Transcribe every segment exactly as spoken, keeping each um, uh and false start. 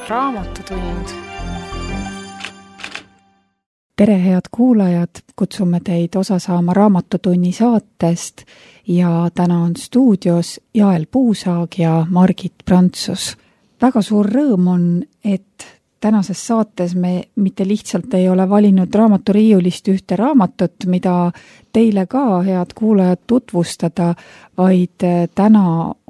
Raamatutund. Tere, head kuulajad! Kutsume teid osa saama Raamatutunni saatest ja täna on stuudios Jael Puusaag ja Margit Prantsus. Väga suur rõõm on, et tänases saates me mitte lihtsalt ei ole valinud raamaturiiulist ühte raamatut, mida teile ka, head kuulajad, tutvustada, vaid täna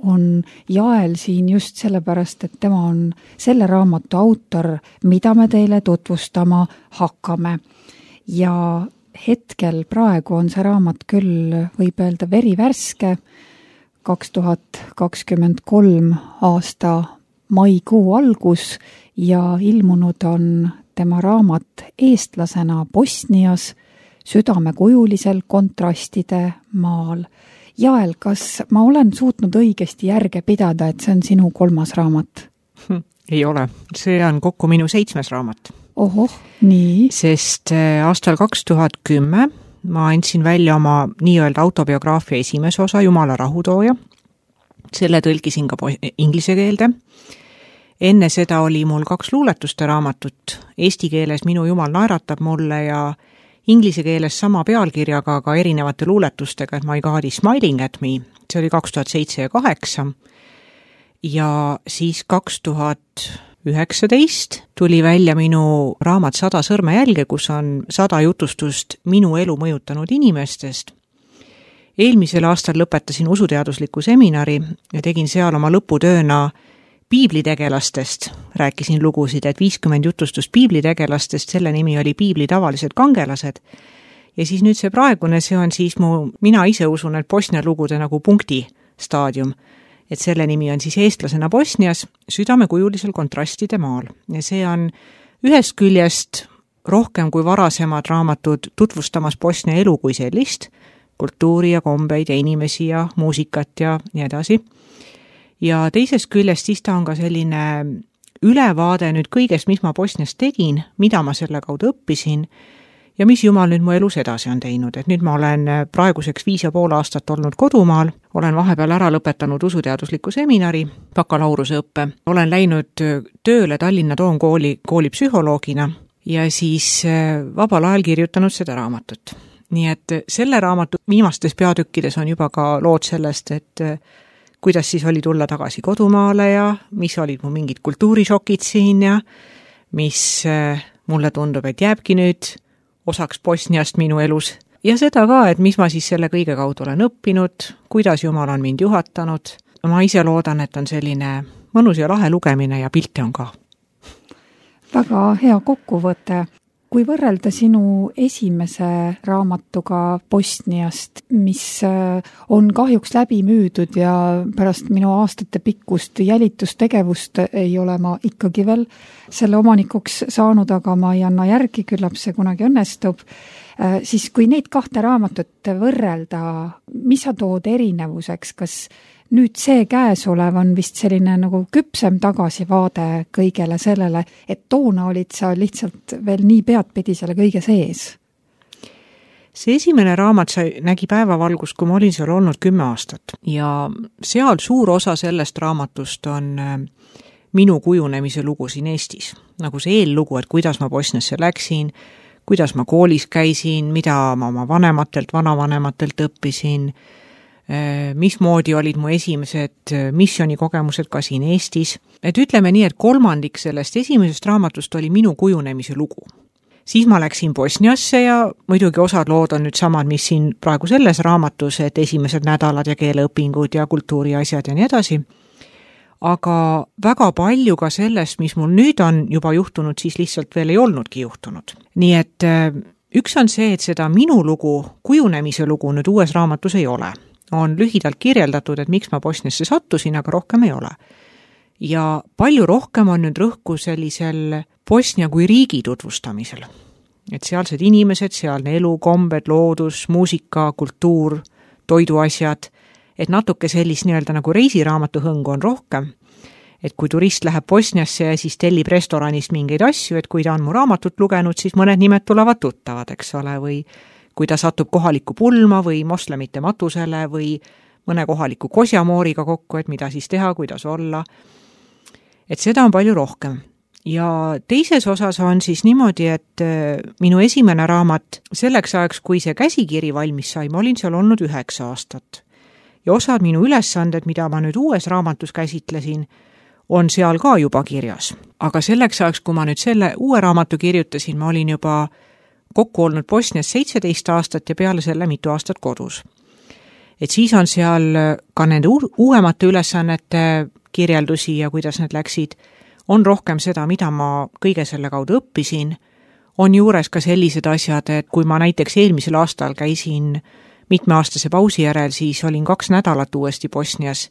on Jael siin just sellepärast, et tema on selle raamatu autor, mida me teile tutvustama hakkame. Ja hetkel praegu on see raamat küll, võib öelda, verivärske, kaks tuhat kakskümmend kolm aasta maikuu algus ja ilmunud on tema raamat Eestlasena Bosnias, südamekujulisel kontrastide maal. Jael, kas ma olen suutnud õigesti järge pidada, et see on sinu kolmas raamat? Hm, ei ole. See on kokku minu seitsmes raamat. Ohoh, nii. Sest aastal kaks tuhat kümme ma andsin välja oma nii-öelda autobiograafia esimese osa Jumala rahutooja. Selle tõlkisin ka inglise keelde. Enne seda oli mul kaks luuletuste raamatut. Eesti keeles Minu Jumal naeratab mulle ja inglise keeles sama pealkirjaga, aga erinevate luuletustega, et My God is smiling at me. See oli kaks tuhat seitse ja kaheksa. Ja siis kaks tuhat üheksateist tuli välja minu raamat Sada sõrmejälge, kus on sada jutustust minu elu mõjutanud inimestest. Eelmisel aastal lõpetasin usuteadusliku seminari ja tegin seal oma lõputööna piiblitegelastest. Rääkisin lugusid, et viiskümmend jutustust piiblitegelastest, selle nimi oli Piibli tavalised kangelased. Ja siis nüüd see praegune, see on siis mu, mina ise usun, et Bosnia lugude nagu punkti staadium. Et selle nimi on siis Eestlasena Bosnias, südamekujulisel kontrastide maal. Ja see on ühest küljest rohkem kui varasemad raamatud tutvustamas Bosnia elu kui sellist, kultuuri ja kombeid ja inimesi ja muusikat ja nii edasi. Ja teisest küljest siis ta on ka selline ülevaade nüüd kõigest, mis ma Bosnias tegin, mida ma selle kaudu õppisin ja mis Jumal nüüd mu elus edasi on teinud. Et nüüd ma olen praeguseks viis ja pool aastat olnud kodumaal, olen vahepeal ära lõpetanud usuteadusliku seminari, bakalaureuse õppe, olen läinud tööle Tallinna Toomkooli kooli psühholoogina ja siis vabal ajal kirjutanud seda raamatut. Nii et selle raamatu viimastes peatükkides on juba ka lood sellest, et kuidas siis oli tulla tagasi kodumaale ja mis olid mu mingid kultuurishokid siin ja mis mulle tundub, et jääbki nüüd osaks Bosniast minu elus. Ja seda ka, et mis ma siis selle kõige kaudu olen õppinud, kuidas Jumal on mind juhatanud. Ma ise loodan, et on selline mõnus ja lahe lugemine ja pilte on ka. Väga hea kokkuvõte. Kui võrrelda sinu esimese raamatuga Bosniast, mis on kahjuks läbi müüdud ja pärast minu aastate pikkust jälitustegevust ei ole ma ikkagi veel selle omanikuks saanud, aga ma ei anna järgi, küllap see kunagi õnnestub. Siis kui neid kahte raamatut võrrelda, mis sa tood erinevuseks, kas nüüd see käesolev on vist selline nagu küpsem tagasivaade kõigele sellele, et toona olid sa lihtsalt veel nii peadpidi selle kõige sees? See esimene raamat sai, nägi päevavalgust, kui ma olin seal olnud kümme aastat ja seal suur osa sellest raamatust on minu kujunemise lugu siin Eestis. Nagu see eellugu, et kuidas ma Bosniasse läksin, kuidas ma koolis käisin, mida ma oma vanematelt, vanavanematelt õppisin, mismoodi olid mu esimesed missionikogemused ka siin Eestis. Et ütleme nii, et kolmandik sellest esimesest raamatust oli minu kujunemise lugu. Siis ma läksin Bosniasse ja muidugi osad lood on nüüd samad, mis siin praegu selles raamatus, et esimesed nädalad ja keeleõpingud ja kultuuriasjad ja nii edasi. Aga väga palju ka sellest, mis mul nüüd on juba juhtunud, siis lihtsalt veel ei olnudki juhtunud. Nii et üks on see, et seda minu lugu, kujunemise lugu nüüd uues raamatus ei ole. On lühidalt kirjeldatud, et miks ma Bosniasse sattusin, aga rohkem ei ole. Ja palju rohkem on nüüd rõhku sellisel Bosnia kui riigi tutvustamisel. Et sealsed inimesed, sealne elu, kombed, loodus, muusika, kultuur, toiduasjad, et natuke sellist nii-öelda nagu reisiraamatu hõngu on rohkem. Et kui turist läheb Bosniasse ja siis tellib restoranist mingeid asju, et kui ta on mu raamatut lugenud, siis mõned nimed tulevad tuttavad, eks ole, või kui ta satub kohaliku pulma või moslemite matusele või mõne kohaliku kosjamooriga kokku, et mida siis teha, kuidas olla. Et seda on palju rohkem. ja teises osas on siis niimoodi, et minu esimene raamat selleks ajaks, kui see käsikiri valmis sai, ma olin seal olnud üheksa aastat. Ja osad minu ülesanded, mida ma nüüd uues raamatus käsitlesin, on seal ka juba kirjas. Aga selleks ajaks, kui ma nüüd selle uue raamatu kirjutasin, ma olin juba kokku olnud Bosnias seitseteist aastat ja peale selle mitu aastat kodus. Et siis on seal ka nende uuemate ülesannete kirjeldusi ja kuidas need läksid, on rohkem seda, mida ma kõige selle kaudu õppisin, on juures ka sellised asjad, et kui ma näiteks eelmisel aastal käisin mitmeaastase pausi järel, siis olin kaks nädalat uuesti Bosnias,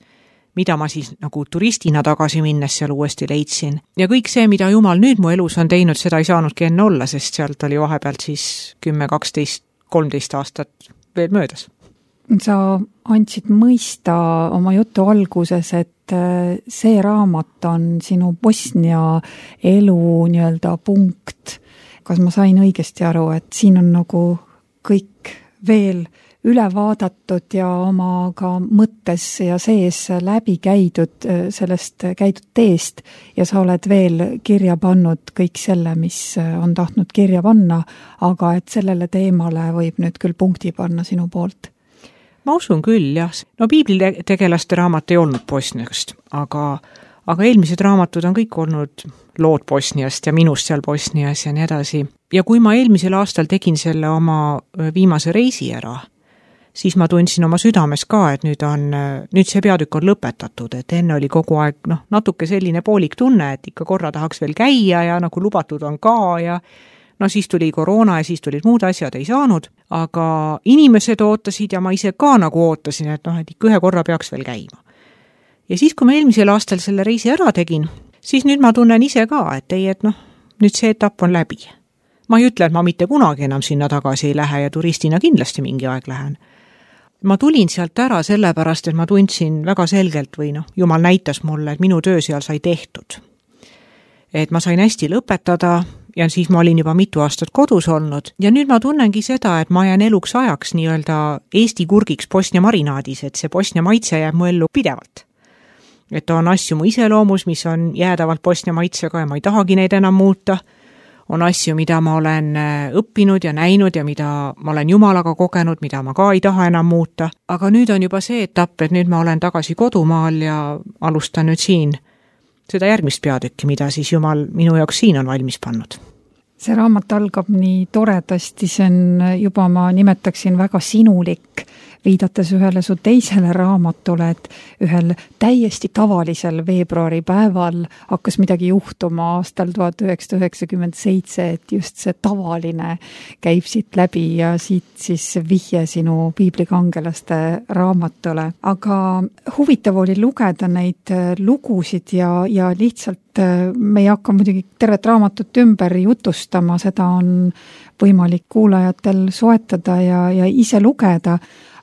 mida ma siis nagu turistina tagasi minnes seal uuesti leidsin. Ja kõik see, mida Jumal nüüd mu elus on teinud, seda ei saanudki enne olla, sest sealt oli vahepealt siis kümme, kaksteist, kolmteist aastat veel möödas. Sa andsid mõista oma jutu alguses, et see raamat on sinu Bosnia elu nii-öelda punkt. Kas ma sain õigesti aru, et siin on nagu kõik veel üle vaadatud ja oma ka mõttes ja sees läbi käidud sellest käidud teest ja sa oled veel kirja pannud kõik selle, mis on tahtnud kirja panna, aga et sellele teemale võib nüüd küll punkti panna sinu poolt? Ma usun küll, jah. No piiblitegelaste raamat ei olnud Bosniast, aga, aga eelmised raamatud on kõik olnud lood Bosniast ja minust seal Bosnias ja nii edasi. Ja kui ma eelmisel aastal tegin selle oma viimase reisi ära, siis ma tundsin oma südames ka, et nüüd on, nüüd see peatükk on lõpetatud, et enne oli kogu aeg noh, natuke selline poolik tunne, et ikka korra tahaks veel käia ja nagu lubatud on ka ja no siis tuli koroona ja siis tulid muud asjad, ei saanud, aga inimesed ootasid ja ma ise ka nagu ootasin, et noh, et ikka ühe korra peaks veel käima. Ja siis, kui ma eelmisel aastal selle reisi ära tegin, siis nüüd ma tunnen ise ka, et ei, et noh, nüüd see etapp on läbi. Ma ei ütle, et ma mitte kunagi enam sinna tagasi ei lähe ja turistina kindlasti mingi aeg lähen. Ma tulin sealt ära sellepärast, et ma tundsin väga selgelt või noh, Jumal näitas mulle, et minu töö seal sai tehtud. Et ma sain hästi lõpetada ja siis ma olin juba mitu aastat kodus olnud ja nüüd ma tunnengi seda, et ma jään eluks ajaks nii-öelda Eesti kurgiks Bosnia marinaadis, et see Bosnia maitse jääb mu ellu pidevalt. Et on asju mu iseloomus, mis on jäädavalt Bosnia maitsega ja ma ei tahagi neid enam muuta. On asju, mida ma olen õppinud ja näinud ja mida ma olen Jumalaga kogenud, mida ma ka ei taha enam muuta. Aga nüüd on juba see etapp, et nüüd ma olen tagasi kodumaal ja alustan nüüd siin seda järgmist peatükki, mida siis Jumal minu jaoks siin on valmis pannud. See raamat algab nii toredasti, see on juba ma nimetaksin väga sinulik, viidates ühele su teisele raamatule, et ühel täiesti tavalisel veebruari päeval hakkas midagi juhtuma aastal tuhat üheksasada üheksakümmend seitse, et just see tavaline käib siit läbi ja siit siis vihje sinu piiblikangelaste raamatule. Aga huvitav oli lugeda neid lugusid ja, ja lihtsalt me ei hakka muidugi tervet raamatut ümber jutustama, seda on võimalik kuulajatel soetada ja, ja ise lugeda,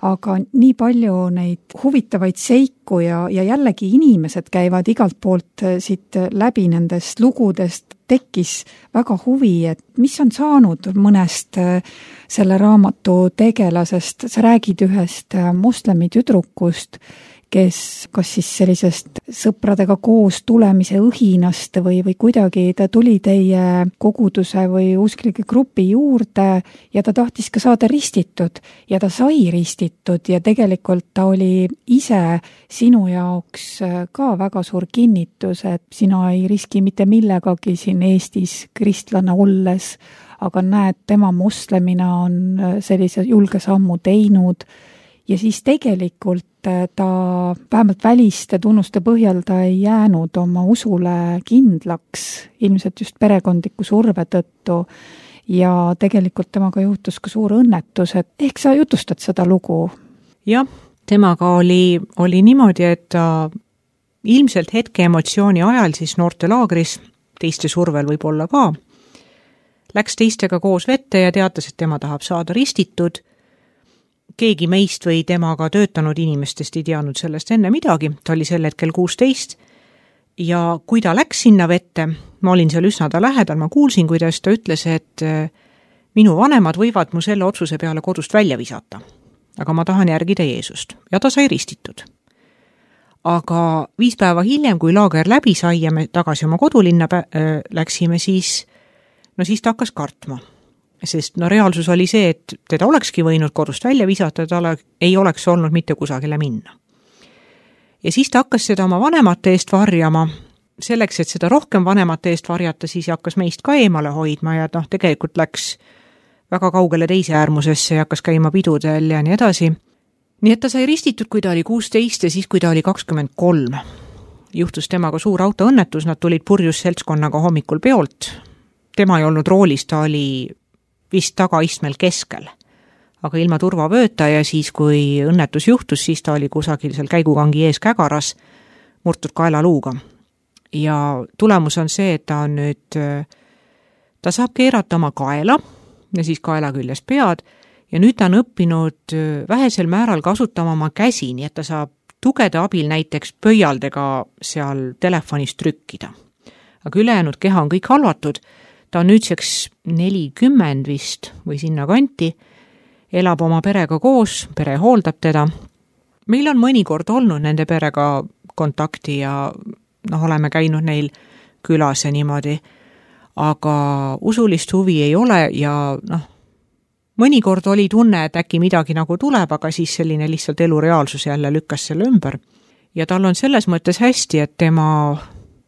aga nii palju neid huvitavaid seiku ja, ja jällegi inimesed käivad igalt poolt siit läbi nendest lugudest, tekkis väga huvi, et mis on saanud mõnest selle raamatu tegelasest. Sa räägid ühest moslemi tüdrukust, kes kas siis sellisest sõpradega koos tulemise õhinast või, või kuidagi ta tuli teie koguduse või usklike grupi juurde ja ta tahtis ka saada ristitud ja ta sai ristitud ja tegelikult ta oli ise sinu jaoks ka väga suur kinnitus, et sina ei riski mitte millegagi siin Eestis kristlane olles, aga näed, tema moslemina on sellise julge sammu teinud ja siis tegelikult ta vähemalt väliste tunnuste põhjal ta ei jäänud oma usule kindlaks, ilmselt just perekondliku surve tõttu ja tegelikult temaga juhtus ka suur õnnetus, et ehk sa jutustad seda lugu? Jah, temaga oli, oli niimoodi, et ta ilmselt hetke emotsiooni ajal siis noortelaagris, teiste survel võib olla ka, läks teistega koos vette ja teatas, et tema tahab saada ristitud. Keegi meist või temaga töötanud inimestest ei teadnud sellest enne midagi, ta oli sel hetkel kuusteist ja kui ta läks sinna vette, ma olin seal üsna ta lähedal, ma kuulsin, kuidas ta ütles, et minu vanemad võivad mu selle otsuse peale kodust välja visata, aga ma tahan järgida Jeesust ja ta sai ristitud. aga viis päeva hiljem, kui laager läbi sai ja me tagasi oma kodulinna pä- äh, läksime, siis, no siis ta hakkas kartma. Sest no reaalsus oli see, et teda olekski võinud kodust välja visata, ta ole, ei oleks olnud mitte kusagile minna. Ja siis ta hakkas seda oma vanemate eest varjama. Selleks, et seda rohkem vanemate eest varjata, siis hakkas meist ka eemale hoidma ja noh, tegelikult läks väga kaugele teise äärmusesse ja hakkas käima pidudel ja nii edasi. Nii et ta sai ristitud, kui ta oli kuusteist ja siis, kui ta oli kakskümmend kolm. Juhtus temaga suur autoõnnetus, nad tulid purjus seltskonnaga hommikul peolt. Tema ei olnud roolis, ta oli vist tagaistmel keskel. Aga ilma turvavööta ja siis, kui õnnetus juhtus, siis ta oli kusagil seal käigukangi ees kägaras, murtud kaelaluuga. Ja tulemus on see, et ta on nüüd, ta saab keerata oma kaela ja siis kaela küljes pead ja nüüd ta on õppinud vähesel määral kasutama oma käsi, nii et ta saab tugede abil näiteks pöialdega seal telefonis trükkida. Aga ülejäänud keha on kõik halvatud, ta on nüüdseks nelikümmend vist või sinna kanti, elab oma perega koos, pere hooldab teda. Meil on mõnikord olnud nende perega kontakti ja noh, oleme käinud neil külas ja niimoodi, aga usulist huvi ei ole ja noh, mõnikord oli tunne, et äkki midagi nagu tuleb, aga siis selline lihtsalt elureaalsus jälle lükkas selle ümber. Ja tal on selles mõttes hästi, et tema,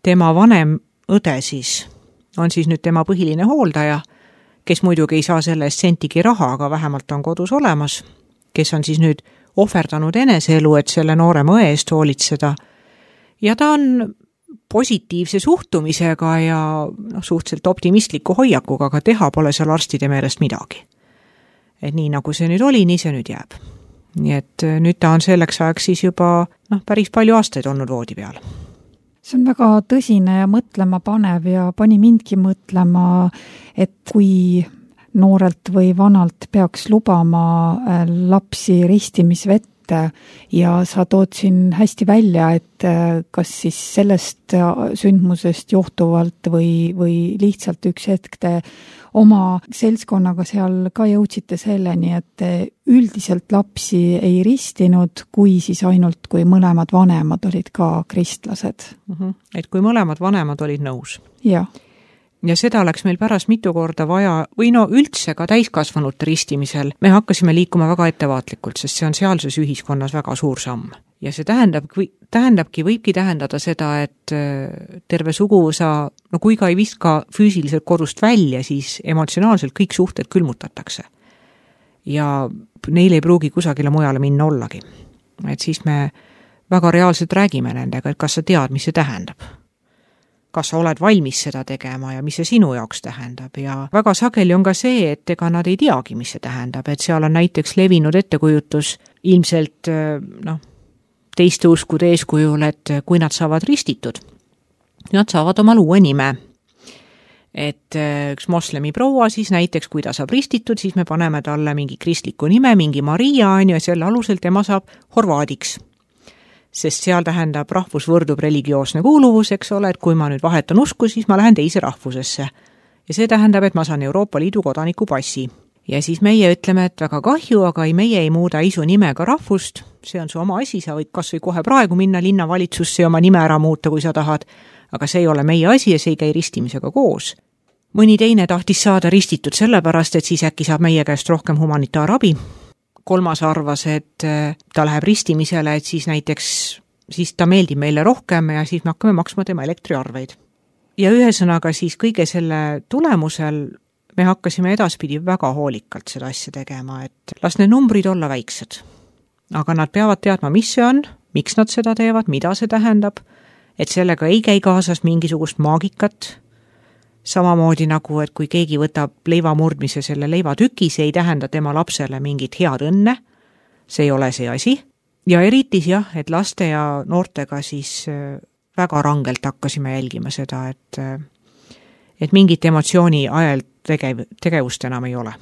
tema vanem õde siis on siis nüüd tema põhiline hooldaja, kes muidugi ei saa selle eest sentigi raha, aga vähemalt on kodus olemas, kes on siis nüüd ohverdanud eneseelu, et selle noorema õe eest hoolitseda. Ja ta on positiivse suhtumisega ja no, suhteliselt optimistliku hoiakuga, aga teha pole seal arstide meelest midagi. Et nii nagu see nüüd oli, nii see nüüd jääb. Nii et nüüd ta on selleks ajaks siis juba noh, päris palju aastaid olnud voodi peal. See on väga tõsine ja mõtlema panev ja pani mindki mõtlema, et kui noorelt või vanalt peaks lubama lapsi ristimisvette ja sa tood siin hästi välja, et kas siis sellest sündmusest johtuvalt või, või lihtsalt üks hetk te oma seltskonnaga seal ka jõudsite selleni, et üldiselt lapsi ei ristinud, kui siis ainult, kui mõlemad vanemad olid ka kristlased. Mm-hmm. Et kui mõlemad vanemad olid nõus. Ja. Ja seda läks meil pärast mitu korda vaja, või no üldse ka täiskasvanute ristimisel, me hakkasime liikuma väga ettevaatlikult, sest see on sealses ühiskonnas väga suur samm. Ja see tähendab, tähendabki, võibki tähendada seda, et terve suguvõsa, no kui ka ei viska füüsiliselt kodust välja, siis emotsionaalselt kõik suhted külmutatakse. Ja neil ei pruugi kusagile mujale minna ollagi. Et siis me väga reaalselt räägime nendega, et kas sa tead, mis see tähendab. Kas sa oled valmis seda tegema ja mis see sinu jaoks tähendab. Ja väga sageli on ka see, et ega nad ei teagi, mis see tähendab. Et seal on näiteks levinud ettekujutus ilmselt, noh, teiste uskude eeskujul, et kui nad saavad ristitud, nad saavad omal uue nime. Et üks moslemi proua siis näiteks, kui ta saab ristitud, siis me paneme talle mingi kristliku nime, mingi Maria on ja selle alusel tema saab horvaadiks. Sest seal tähendab rahvus võrdub religioosne kuuluvus, eks ole, et kui ma nüüd vahetan usku, siis ma lähen teise rahvusesse. Ja see tähendab, et ma saan Euroopa Liidu kodaniku passi. Ja siis meie ütleme, et väga kahju, aga ei, meie ei muuda isu nimega rahvust, see on su oma asi, sa võid kas või kohe praegu minna linnavalitsusse ja oma nime ära muuta, kui sa tahad, aga see ei ole meie asi ja see ei käi ristimisega koos. Mõni teine tahtis saada ristitud sellepärast, et siis äkki saab meie käest rohkem humanitaarabi. Kolmas arvas, et ta läheb ristimisele, et siis näiteks siis ta meeldib meile rohkem ja siis me hakkame maksma tema elektriarveid. Ja ühesõnaga siis kõige selle tulemusel me hakkasime edaspidi väga hoolikalt seda asja tegema, et las need numbrid olla väiksed. Aga nad peavad teadma, mis see on, miks nad seda teevad, mida see tähendab, et sellega ei käi kaasas mingisugust maagikat. Samamoodi nagu, et kui keegi võtab leiva murdmise selle leivatüki, see ei tähenda tema lapsele mingit head õnne, see ei ole see asi. Ja eriti jah, et laste ja noortega siis väga rangelt hakkasime jälgima seda, et, et mingit emotsiooni ajal tegev, tegevust enam ei ole.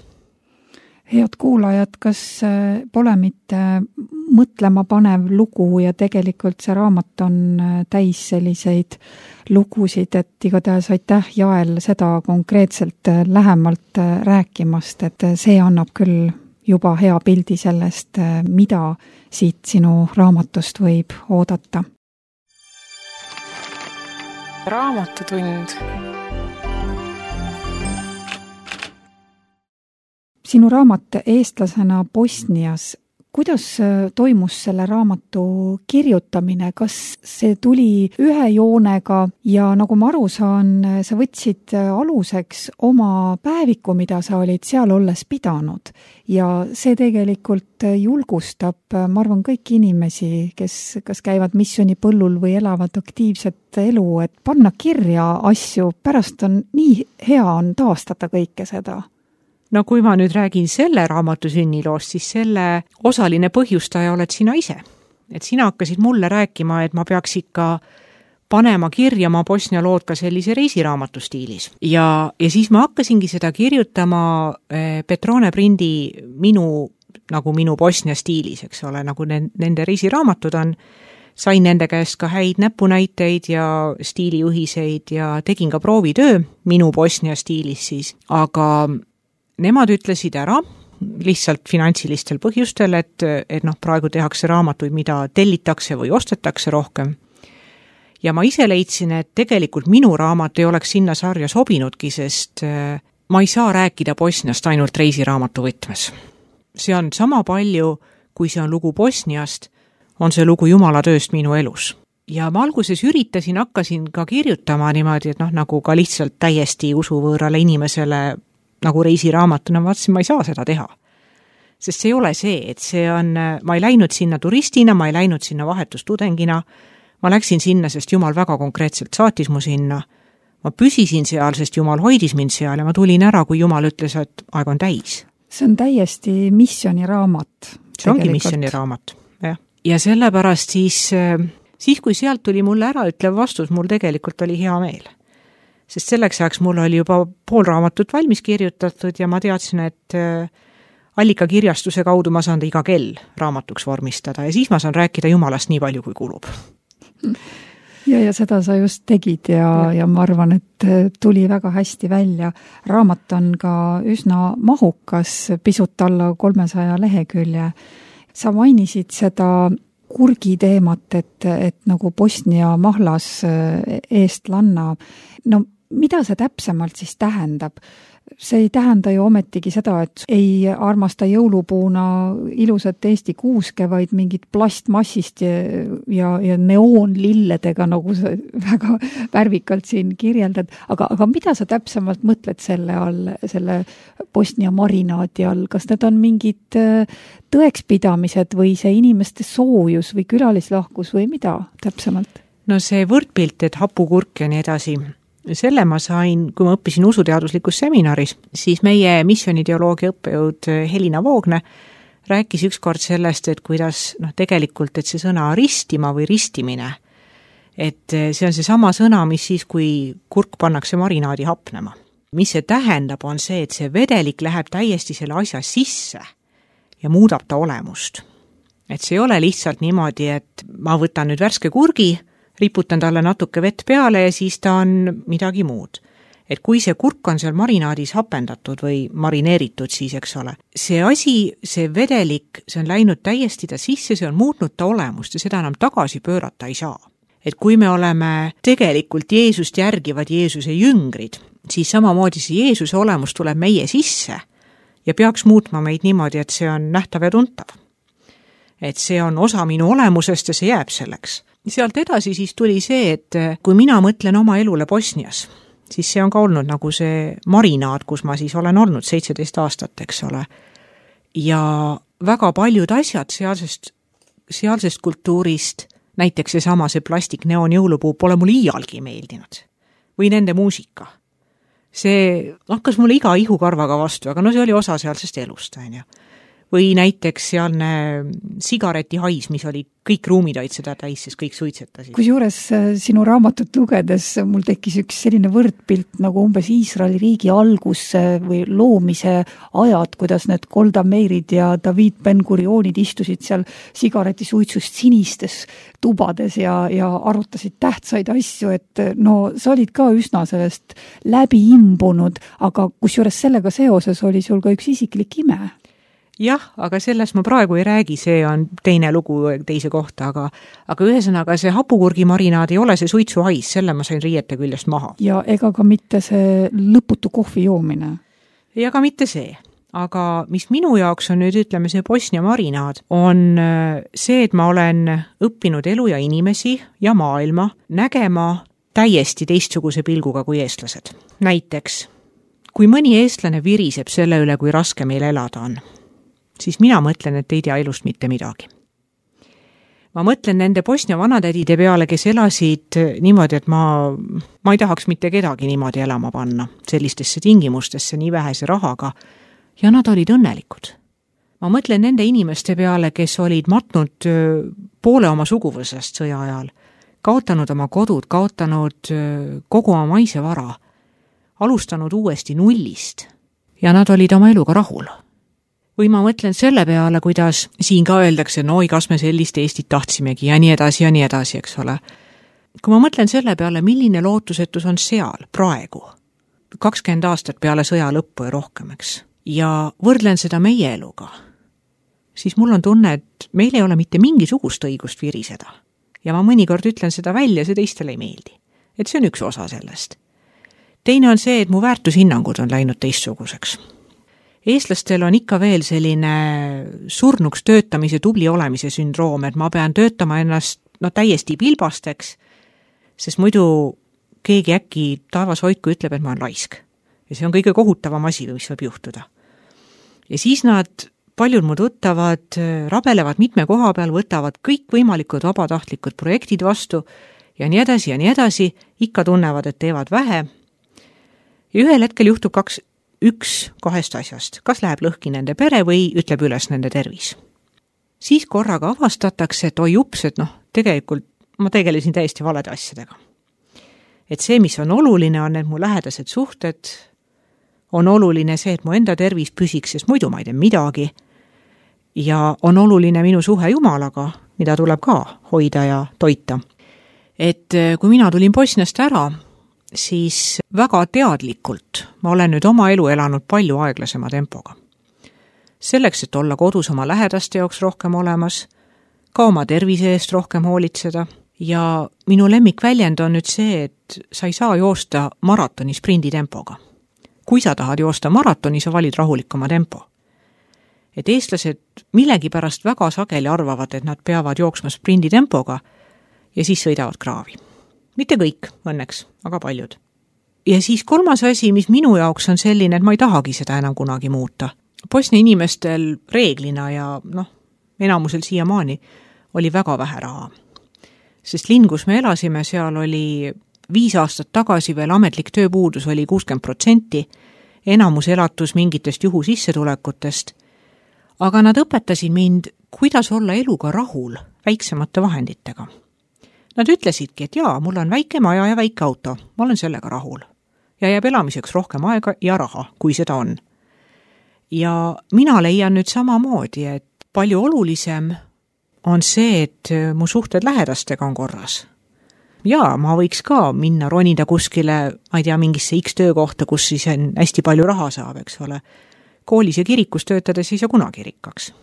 Head kuulajad, kas pole mitte mõtlema panev lugu ja tegelikult see raamat on täis selliseid lugusid, et igatahes aitäh Jael seda konkreetselt lähemalt rääkimast, et see annab küll juba hea pildi sellest, mida siit sinu raamatust võib oodata. raamatutund. Sinu raamat Eestlasena Bosnias, kuidas toimus selle raamatu kirjutamine, kas see tuli ühe joonega ja nagu ma aru saan, sa võtsid aluseks oma päeviku, mida sa olid seal olles pidanud ja see tegelikult julgustab, ma arvan, kõiki inimesi, kes kas käivad missioonipõllul või elavad aktiivset elu, et panna kirja asju, pärast on nii hea on taastada kõike seda. No kui ma nüüd räägin selle raamatu sünniloost, siis selle osaline põhjustaja oled sina ise. Et sina hakkasid mulle rääkima, et ma peaks ikka panema kirja ma Bosnia lood ka sellise reisiraamatu stiilis. Ja, ja siis ma hakkasingi seda kirjutama Petrone Prindi minu, nagu minu Bosnia stiilis, eks ole, nagu nende reisiraamatud on. Sain nende käest ka häid näpunäiteid ja stiilijuhiseid ja tegin ka proovitöö minu Bosnia stiilis siis, aga nemad ütlesid ära lihtsalt finantsilistel põhjustel, et, et noh, praegu tehakse raamatuid, mida tellitakse või ostetakse rohkem. Ja ma ise leidsin, et tegelikult minu raamat ei oleks sinna sarja sobinudki, sest ma ei saa rääkida Bosniast ainult reisiraamatu võtmes. See on sama palju, kui see on lugu Bosniast, on see lugu Jumala tööst minu elus. Ja ma alguses üritasin, hakkasin ka kirjutama niimoodi, et noh, nagu ka lihtsalt täiesti usuvõõrale inimesele nagu reisiraamatuna, ma vaatasin, ma ei saa seda teha. Sest see ei ole see, et see on, ma ei läinud sinna turistina, ma ei läinud sinna vahetustudengina, ma läksin sinna, sest Jumal väga konkreetselt saatis mu sinna. Ma püsisin seal, sest Jumal hoidis mind seal ja ma tulin ära, kui Jumal ütles, et aeg on täis. See on täiesti missioniraamat. See ongi missioniraamat, jah. Ja sellepärast siis, siis kui sealt tuli mulle ära ütlev vastus, mul tegelikult oli hea meel. Sest selleks ajaks mul oli juba pool raamatut valmis kirjutatud ja ma teadsin, et allikakirjastuse kaudu ma saan iga kell raamatuks vormistada ja siis ma saan rääkida Jumalast nii palju, kui kulub. Ja, ja seda sa just tegid ja, ja. ja ma arvan, et tuli väga hästi välja. Raamat on ka üsna mahukas, pisut alla kolmesaja lehekülje. Sa mainisid seda kurgi teemat, et, et nagu Bosnia mahlas eestlanna. No mida see täpsemalt siis tähendab? See ei tähenda ju ometigi seda, et ei armasta jõulupuuna ilusat Eesti kuuske, vaid mingit plastmassist ja, ja, ja neoonlilledega, nagu sa väga värvikalt siin kirjeldad. Aga, aga mida sa täpsemalt mõtled selle all, selle Bosnia marinaadi all? Kas need on mingid tõekspidamised või see inimeste soojus või külalislahkus või mida täpsemalt? No see võrdpilt, et hapukurk ja nii edasi, selle ma sain, kui ma õppisin usuteaduslikus seminaris, siis meie missioonideoloogia õppejõud Helina Voogne rääkis ükskord sellest, et kuidas noh, tegelikult, et see sõna ristima või ristimine, et see on see sama sõna, mis siis, kui kurk pannakse marinaadi hapnema. Mis see tähendab, on see, et see vedelik läheb täiesti selle asja sisse ja muudab ta olemust. Et see ei ole lihtsalt niimoodi, et ma võtan nüüd värske kurgi, riputan talle natuke vett peale ja siis ta on midagi muud. Et kui see kurk on seal marinaadis hapendatud või marineeritud, siis eks ole. See asi, see vedelik, see on läinud täiesti ta sisse, see on muutnud ta olemust ja seda enam tagasi pöörata ei saa. Et kui me oleme tegelikult Jeesust järgivad Jeesuse jüngrid, siis samamoodi see Jeesuse olemus tuleb meie sisse ja peaks muutma meid niimoodi, et see on nähtav ja tuntav. Et see on osa minu olemusest ja see jääb selleks. Sealt edasi siis tuli see, et kui mina mõtlen oma elule Bosnias, siis see on ka olnud nagu see marinaad, kus ma siis olen olnud seitseteist aastat, eks ole. Ja väga paljud asjad sealsest, sealsest kultuurist, näiteks see sama see plastik neon jõulupuu, pole mulle iialgi meeldinud. Või nende muusika. See hakkas mulle iga ihukarvaga vastu, aga no see oli osa sealsest elust, on ju. Või näiteks sealne sigaretihais, mis oli kõik ruumid olid seda täis, sest kõik suitsetasid. Kusjuures sinu raamatut lugedes mul tekkis üks selline võrdpilt nagu umbes Iisraeli riigi algusse või loomise ajad, kuidas need Golda Meirid ja David Ben-Gurionid istusid seal sigaretisuitsust sinistes tubades ja, ja arutasid tähtsaid asju, et no sa olid ka üsna sellest läbi imbunud, aga kusjuures sellega seoses oli sul ka üks isiklik ime. jah, aga sellest ma praegu ei räägi, see on teine lugu teise kohta, aga aga ühesõnaga see hapukurgi marinaad ei ole see suitsuhais, selle ma sain riiete küljest maha. Ja ega ka mitte see lõputu kohvi joomine? Ja ka mitte see. Aga mis minu jaoks on nüüd, ütleme, see Bosnia marinaad, on see, et ma olen õppinud elu ja inimesi ja maailma nägema täiesti teistsuguse pilguga kui eestlased. Näiteks, kui mõni eestlane viriseb selle üle, kui raske meil elada on, siis mina mõtlen, et ei tea elust mitte midagi. Ma mõtlen nende Bosnia vanatädide peale, kes elasid niimoodi, et ma, ma ei tahaks mitte kedagi niimoodi elama panna, sellistesse tingimustesse nii vähese rahaga, ja nad olid õnnelikud. Ma mõtlen nende inimeste peale, kes olid matnud poole oma suguvõsast sõja ajal, kaotanud oma kodud, kaotanud kogu oma maise vara, alustanud uuesti nullist ja nad olid oma eluga rahul. Või ma mõtlen selle peale, kuidas siin ka öeldakse, no kas me sellist Eestit tahtsimegi ja nii edasi ja nii edasi, eks ole. Kui ma mõtlen selle peale, milline lootusetus on seal praegu, kakskümmend aastat peale sõja lõppu ja rohkem, eks, ja võrdlen seda meie eluga, siis mul on tunne, et meil ei ole mitte mingisugust õigust viriseda. Ja ma mõnikord ütlen seda välja, see teistele ei meeldi. Et see on üks osa sellest. Teine on see, et mu väärtushinnangud on läinud teistsuguseks. Eestlastel on ikka veel selline surnuks töötamise, tubli olemise sündroom, et ma pean töötama ennast no, täiesti pilbasteks, sest muidu keegi äkki taevas hoidku ütleb, et ma olen raisk. Ja see on kõige kohutavam asi, mis võib juhtuda. Ja siis nad, paljud mu tuttavad, rabelevad mitme koha peal, võtavad kõik võimalikud vabatahtlikud projektid vastu ja nii edasi ja nii edasi, ikka tunnevad, et teevad vähe. Ja ühel hetkel juhtub kaks, üks kahest asjast, kas läheb lõhki nende pere või ütleb üles nende tervis. Siis korraga avastatakse, et oi ups, et noh, tegelikult ma tegelesin täiesti valede asjadega. Et see, mis on oluline, on need mu lähedased suhted, on oluline see, et mu enda tervis püsiks, sest muidu ma ei tee midagi. Ja on oluline minu suhe Jumalaga, mida tuleb ka hoida ja toita. Et kui mina tulin Bosniast ära, siis väga teadlikult ma olen nüüd oma elu elanud palju aeglasema tempoga. Selleks, et olla kodus oma lähedaste jaoks rohkem olemas, ka oma tervise eest rohkem hoolitseda ja minu lemmikväljend on nüüd see, et sa ei saa joosta maratoni sprindi tempoga. Kui sa tahad joosta maratoni, sa valid rahulikuma tempo. Et eestlased millegi pärast väga sageli arvavad, et nad peavad jooksma sprindi tempoga ja siis sõidavad kraavi. Mitte kõik, õnneks, aga paljud. Ja siis kolmas asi, mis minu jaoks on selline, et ma ei tahagi seda enam kunagi muuta. Bosnia inimestel reeglina ja noh, enamusel siiamaani oli väga vähe raha. Sest linn, kus me elasime, seal oli viis aastat tagasi veel ametlik tööpuudus oli kuuskümmend protsenti, enamus elatus mingitest juhu sissetulekutest, aga nad õpetasid mind, kuidas olla eluga rahul väiksemate vahenditega. Nad ütlesidki, et jaa, mul on väike maja ja väike auto, ma olen sellega rahul. Ja jääb elamiseks rohkem aega ja raha, kui seda on. Ja mina leian nüüd samamoodi, et palju olulisem on see, et mu suhted lähedastega on korras. Jaa, ma võiks ka minna ronida kuskile, ma ei tea, mingisse X töökohta, kus siis on hästi palju raha saab, eks ole. Koolis ja kirikus töötades ei saa kunagi rikkaks.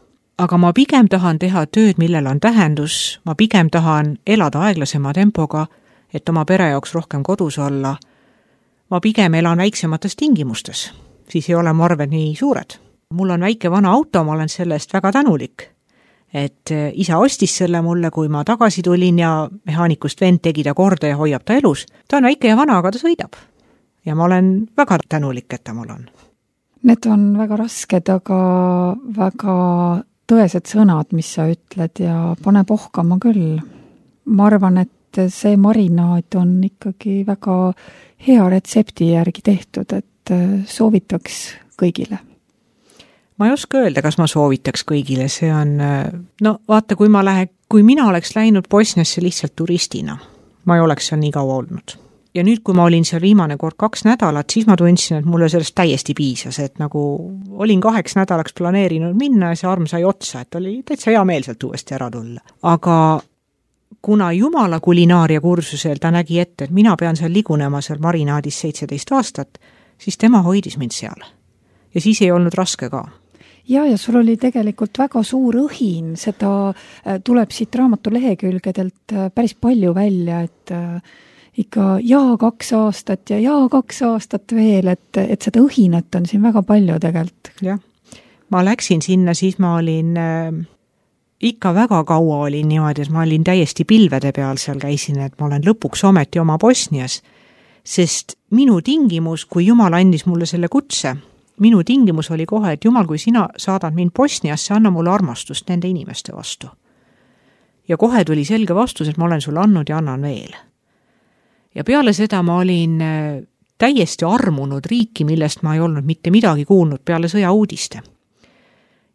Aga ma pigem tahan teha tööd, millel on tähendus, ma pigem tahan elada aeglasema tempoga, et oma pere jaoks rohkem kodus olla. Ma pigem elan väiksemates tingimustes, siis ei ole mu arved nii suured. Mul on väike vana auto, ma olen sellest väga tänulik. Et isa ostis selle mulle, kui ma tagasi tulin ja mehaanikust vend tegi ta korda ja hoiab ta elus. Ta on väike ja vana, aga ta sõidab. Ja ma olen väga tänulik, et ta mul on. Need on väga rasked, aga väga tõesed sõnad, mis sa ütled ja pane pohkama küll. Ma arvan, et see marinaad on ikkagi väga hea retsepti järgi tehtud, et soovitaks kõigile. Ma ei oska öelda, kas ma soovitaks kõigile, see on, no vaata, kui ma lähe, kui mina oleks läinud Bosniasse lihtsalt turistina, ma ei oleks seal nii kaua olnud. Ja nüüd, kui ma olin seal viimane kord kaks nädalat, siis ma tundsin, et mulle sellest täiesti piisas, et nagu olin kaheks nädalaks planeerinud minna ja see arm sai otsa, et oli täitsa hea meel sealt uuesti ära tulla. Aga kuna Jumala kulinaaria kursusel ta nägi ette, et mina pean seal ligunema seal marinaadis seitseteist aastat, siis tema hoidis mind seal. Ja siis ei olnud raske ka. ja, ja sul oli tegelikult väga suur õhin, seda tuleb siit raamatu lehekülgedelt päris palju välja, et ikka jaa kaks aastat ja jaa kaks aastat veel, et, et seda õhinat on siin väga palju tegelikult. Jah, ma läksin sinna, siis ma olin äh, ikka väga kaua olin niimoodi, et ma olin täiesti pilvede peal seal käisin, et ma olen lõpuks ometi oma Bosnias, sest minu tingimus, kui Jumal andis mulle selle kutse, minu tingimus oli kohe, et Jumal, kui sina saadad mind Bosniasse, anna mulle armastust nende inimeste vastu. Ja kohe tuli selge vastus, et ma olen sulle andnud ja annan veel. Ja peale seda ma olin täiesti armunud riiki, millest ma ei olnud mitte midagi kuulnud peale sõja uudiste.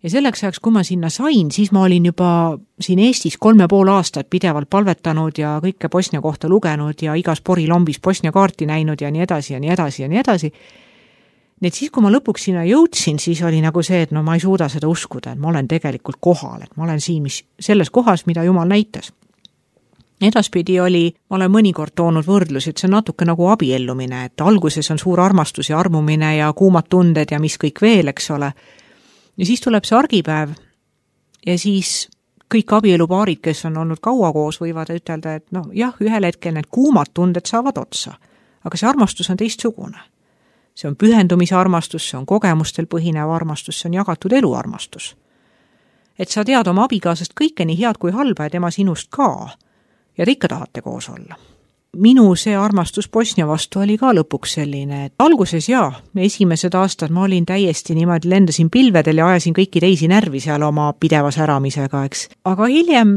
Ja selleks ajaks, kui ma sinna sain, siis ma olin juba siin Eestis kolme pool aastat pidevalt palvetanud ja kõike Bosnia kohta lugenud ja igas porilombis Bosnia kaarti näinud ja nii edasi ja nii edasi ja nii edasi. Nii et siis, kui ma lõpuks sinna jõudsin, siis oli nagu see, et no ma ei suuda seda uskuda, et ma olen tegelikult kohal, et ma olen siin mis, selles kohas, mida Jumal näitas. Edaspidi oli, ma olen mõnikord toonud võrdlusi, et see on natuke nagu abiellumine, et alguses on suur armastus ja armumine ja kuumad tunded ja mis kõik veel, eks ole. Ja siis tuleb see argipäev ja siis kõik abielupaarid, kes on olnud kaua koos, võivad ütelda, et noh, jah, ühel hetkel need kuumad tunded saavad otsa, aga see armastus on teistsugune. See on pühendumise armastus, see on kogemustel põhinev armastus, see on jagatud elu armastus. Et sa tead oma abikaasast kõike nii head kui halba ja tema sinust ka ja te ikka tahate koos olla. Minu see armastus Bosnia vastu oli ka lõpuks selline, et alguses jaa, esimesed aastad ma olin täiesti niimoodi, lendasin pilvedel ja ajasin kõiki teisi närvi seal oma pideva säramisega, eks. Aga hiljem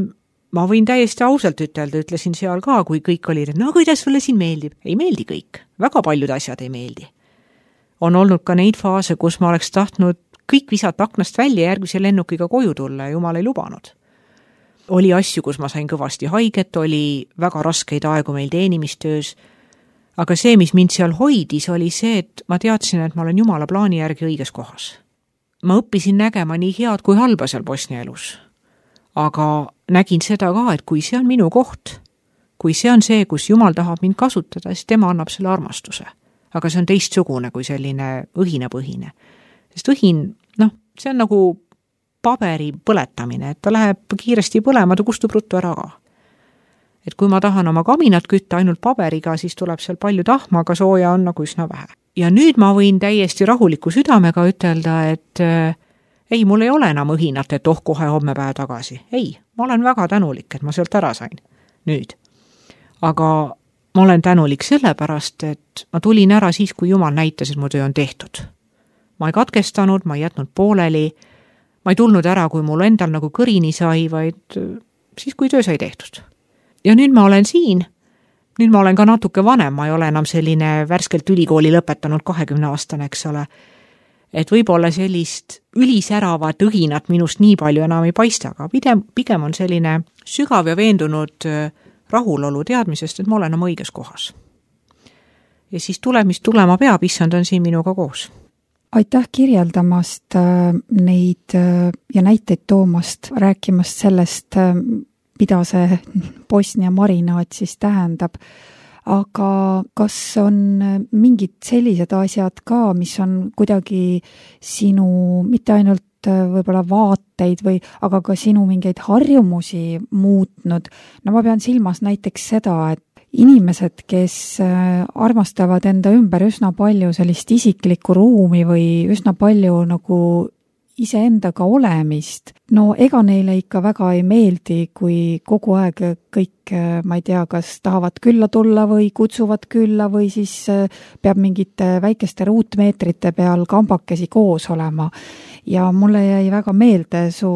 ma võin täiesti ausalt ütelda, ütlesin seal ka, kui kõik oli, et no kuidas sulle siin meeldib? Ei meeldi kõik, väga paljud asjad ei meeldi. On olnud ka neid faase, kus ma oleks tahtnud kõik visata aknast välja järgmise lennukiga koju tulla ja Jumal ei lubanud. Oli asju, kus ma sain kõvasti haiget, oli väga raskeid aegu meil teenimistöös, aga see, mis mind seal hoidis, oli see, et ma teadsin, et ma olen Jumala plaani järgi õiges kohas. Ma õppisin nägema nii head kui halba seal Bosnia elus, aga nägin seda ka, et kui see on minu koht, kui see on see, kus Jumal tahab mind kasutada, siis tema annab selle armastuse. Aga see on teistsugune kui selline õhinapõhine. Sest õhin, noh, see on nagu paberi põletamine, et ta läheb kiiresti põlema, ta kustub ruttu ära ka. Et kui ma tahan oma kaminat kütta ainult paberiga, siis tuleb seal palju tahma, aga sooja on nagu üsna vähe. Ja nüüd ma võin täiesti rahuliku südamega ütelda, et äh, ei, mul ei ole enam õhinat, et oh, kohe homme päev tagasi. Ei, ma olen väga tänulik, et ma sealt ära sain. Nüüd. Aga ma olen tänulik sellepärast, et ma tulin ära siis, kui Jumal näitas, et mu töö on tehtud. Ma ei katkestanud, ma ei jätnud pooleli, ma ei tulnud ära, kui mul endal nagu kõrini sai, vaid siis, kui töö sai tehtud. Ja nüüd ma olen siin, nüüd ma olen ka natuke vanem, ma ei ole enam selline värskelt ülikooli lõpetanud kahekümne aastane, eks ole. Et võib-olla sellist ülisäravat õhinat minust nii palju enam ei paista, aga pigem, pigem on selline sügav ja veendunud rahulolu teadmisest, et ma olen oma õiges kohas. Ja siis tuleb, mis tulema peab, issand on siin minuga koos. Aitäh kirjeldamast neid ja näiteid toomast, rääkimast sellest, mida see Bosnia marinaat siis tähendab. Aga kas on mingid sellised asjad ka, mis on kuidagi sinu, mitte ainult võib-olla vaateid või, aga ka sinu mingeid harjumusi muutnud. No ma pean silmas näiteks seda, et inimesed, kes armastavad enda ümber üsna palju sellist isiklikku ruumi või üsna palju nagu iseendaga olemist, no ega neile ikka väga ei meeldi, kui kogu aeg kõik, ma ei tea, kas tahavad külla tulla või kutsuvad külla või siis peab mingite väikeste ruutmeetrite peal kambakesi koos olema. Ja mulle jäi väga meelde su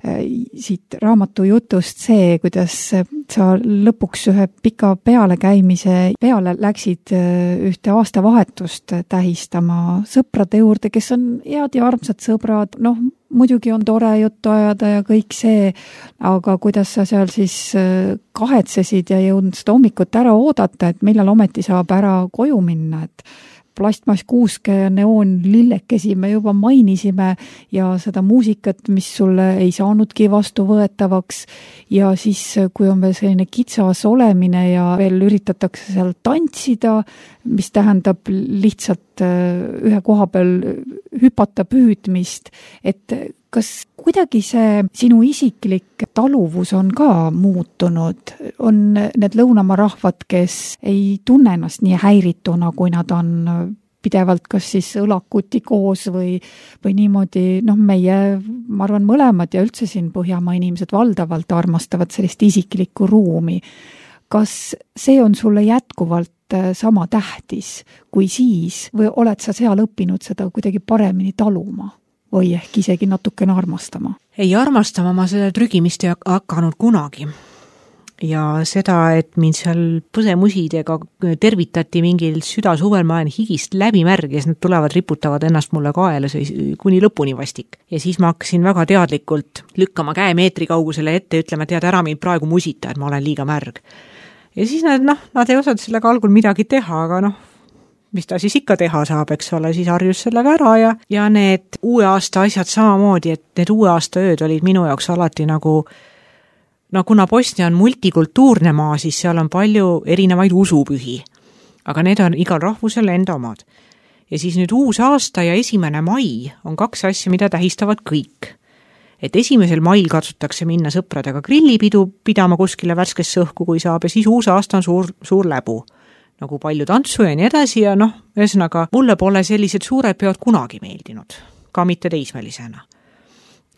siit raamatu jutust see, kuidas sa lõpuks ühe pika pealekäimise peale läksid ühte aastavahetust tähistama sõprade juurde, kes on head ja armsad sõbrad. Noh, muidugi on tore juttu ajada ja kõik see, aga kuidas sa seal siis kahetsesid ja jõudnud seda hommikut ära oodata, et millal ometi saab ära koju minna, et plastmasskuuske ja neoonlillekesi me juba mainisime ja seda muusikat, mis sulle ei saanudki vastuvõetavaks ja siis, kui on veel selline kitsas olemine ja veel üritatakse seal tantsida, mis tähendab lihtsalt ühe koha peal hüpata püüdmist, et kas kuidagi see sinu isiklik taluvus on ka muutunud? On need lõunamaa rahvad, kes ei tunne ennast nii häirituna, kui nad on pidevalt kas siis õlakuti koos või, või niimoodi, noh meie, ma arvan, mõlemad ja üldse siin Põhjamaa inimesed valdavalt armastavad sellist isiklikku ruumi. Kas see on sulle jätkuvalt sama tähtis kui siis või oled sa seal õppinud seda kuidagi paremini taluma? Või ehk isegi natukene armastama? Ei armastama, ma seda trügimist ei hakanud kunagi. Ja seda, et mind seal põsemusidega tervitati mingil südasuvel, ma olen higist läbimärg ja siis nad tulevad, riputavad ennast mulle kaela kuni lõpuni vastik. Ja siis ma hakkasin väga teadlikult lükkama käe meetri kaugusele ette ja ütlema, tead ära mind praegu musita, et ma olen liiga märg. Ja siis nad, noh, nad ei osanud sellega algul midagi teha, aga noh, mis ta siis ikka teha saab, eks ole, siis harjus sellega ära ja, ja need uue aasta asjad samamoodi, et need uue aasta ööd olid minu jaoks alati nagu, no kuna Bosnia on multikultuurne maa, siis seal on palju erinevaid usupühi, aga need on igal rahvusel enda omad. Ja siis nüüd uus aasta ja esimene mai on kaks asja, mida tähistavad kõik. Et esimesel mail katsutakse minna sõpradega grillipidu pidama kuskile värskesse õhku, kui saab, ja siis uus aasta on suur, suur läbu. Nagu palju tantsu ja nii edasi ja noh, ühesõnaga, mulle pole sellised suured peod kunagi meeldinud, ka mitte teismelisena.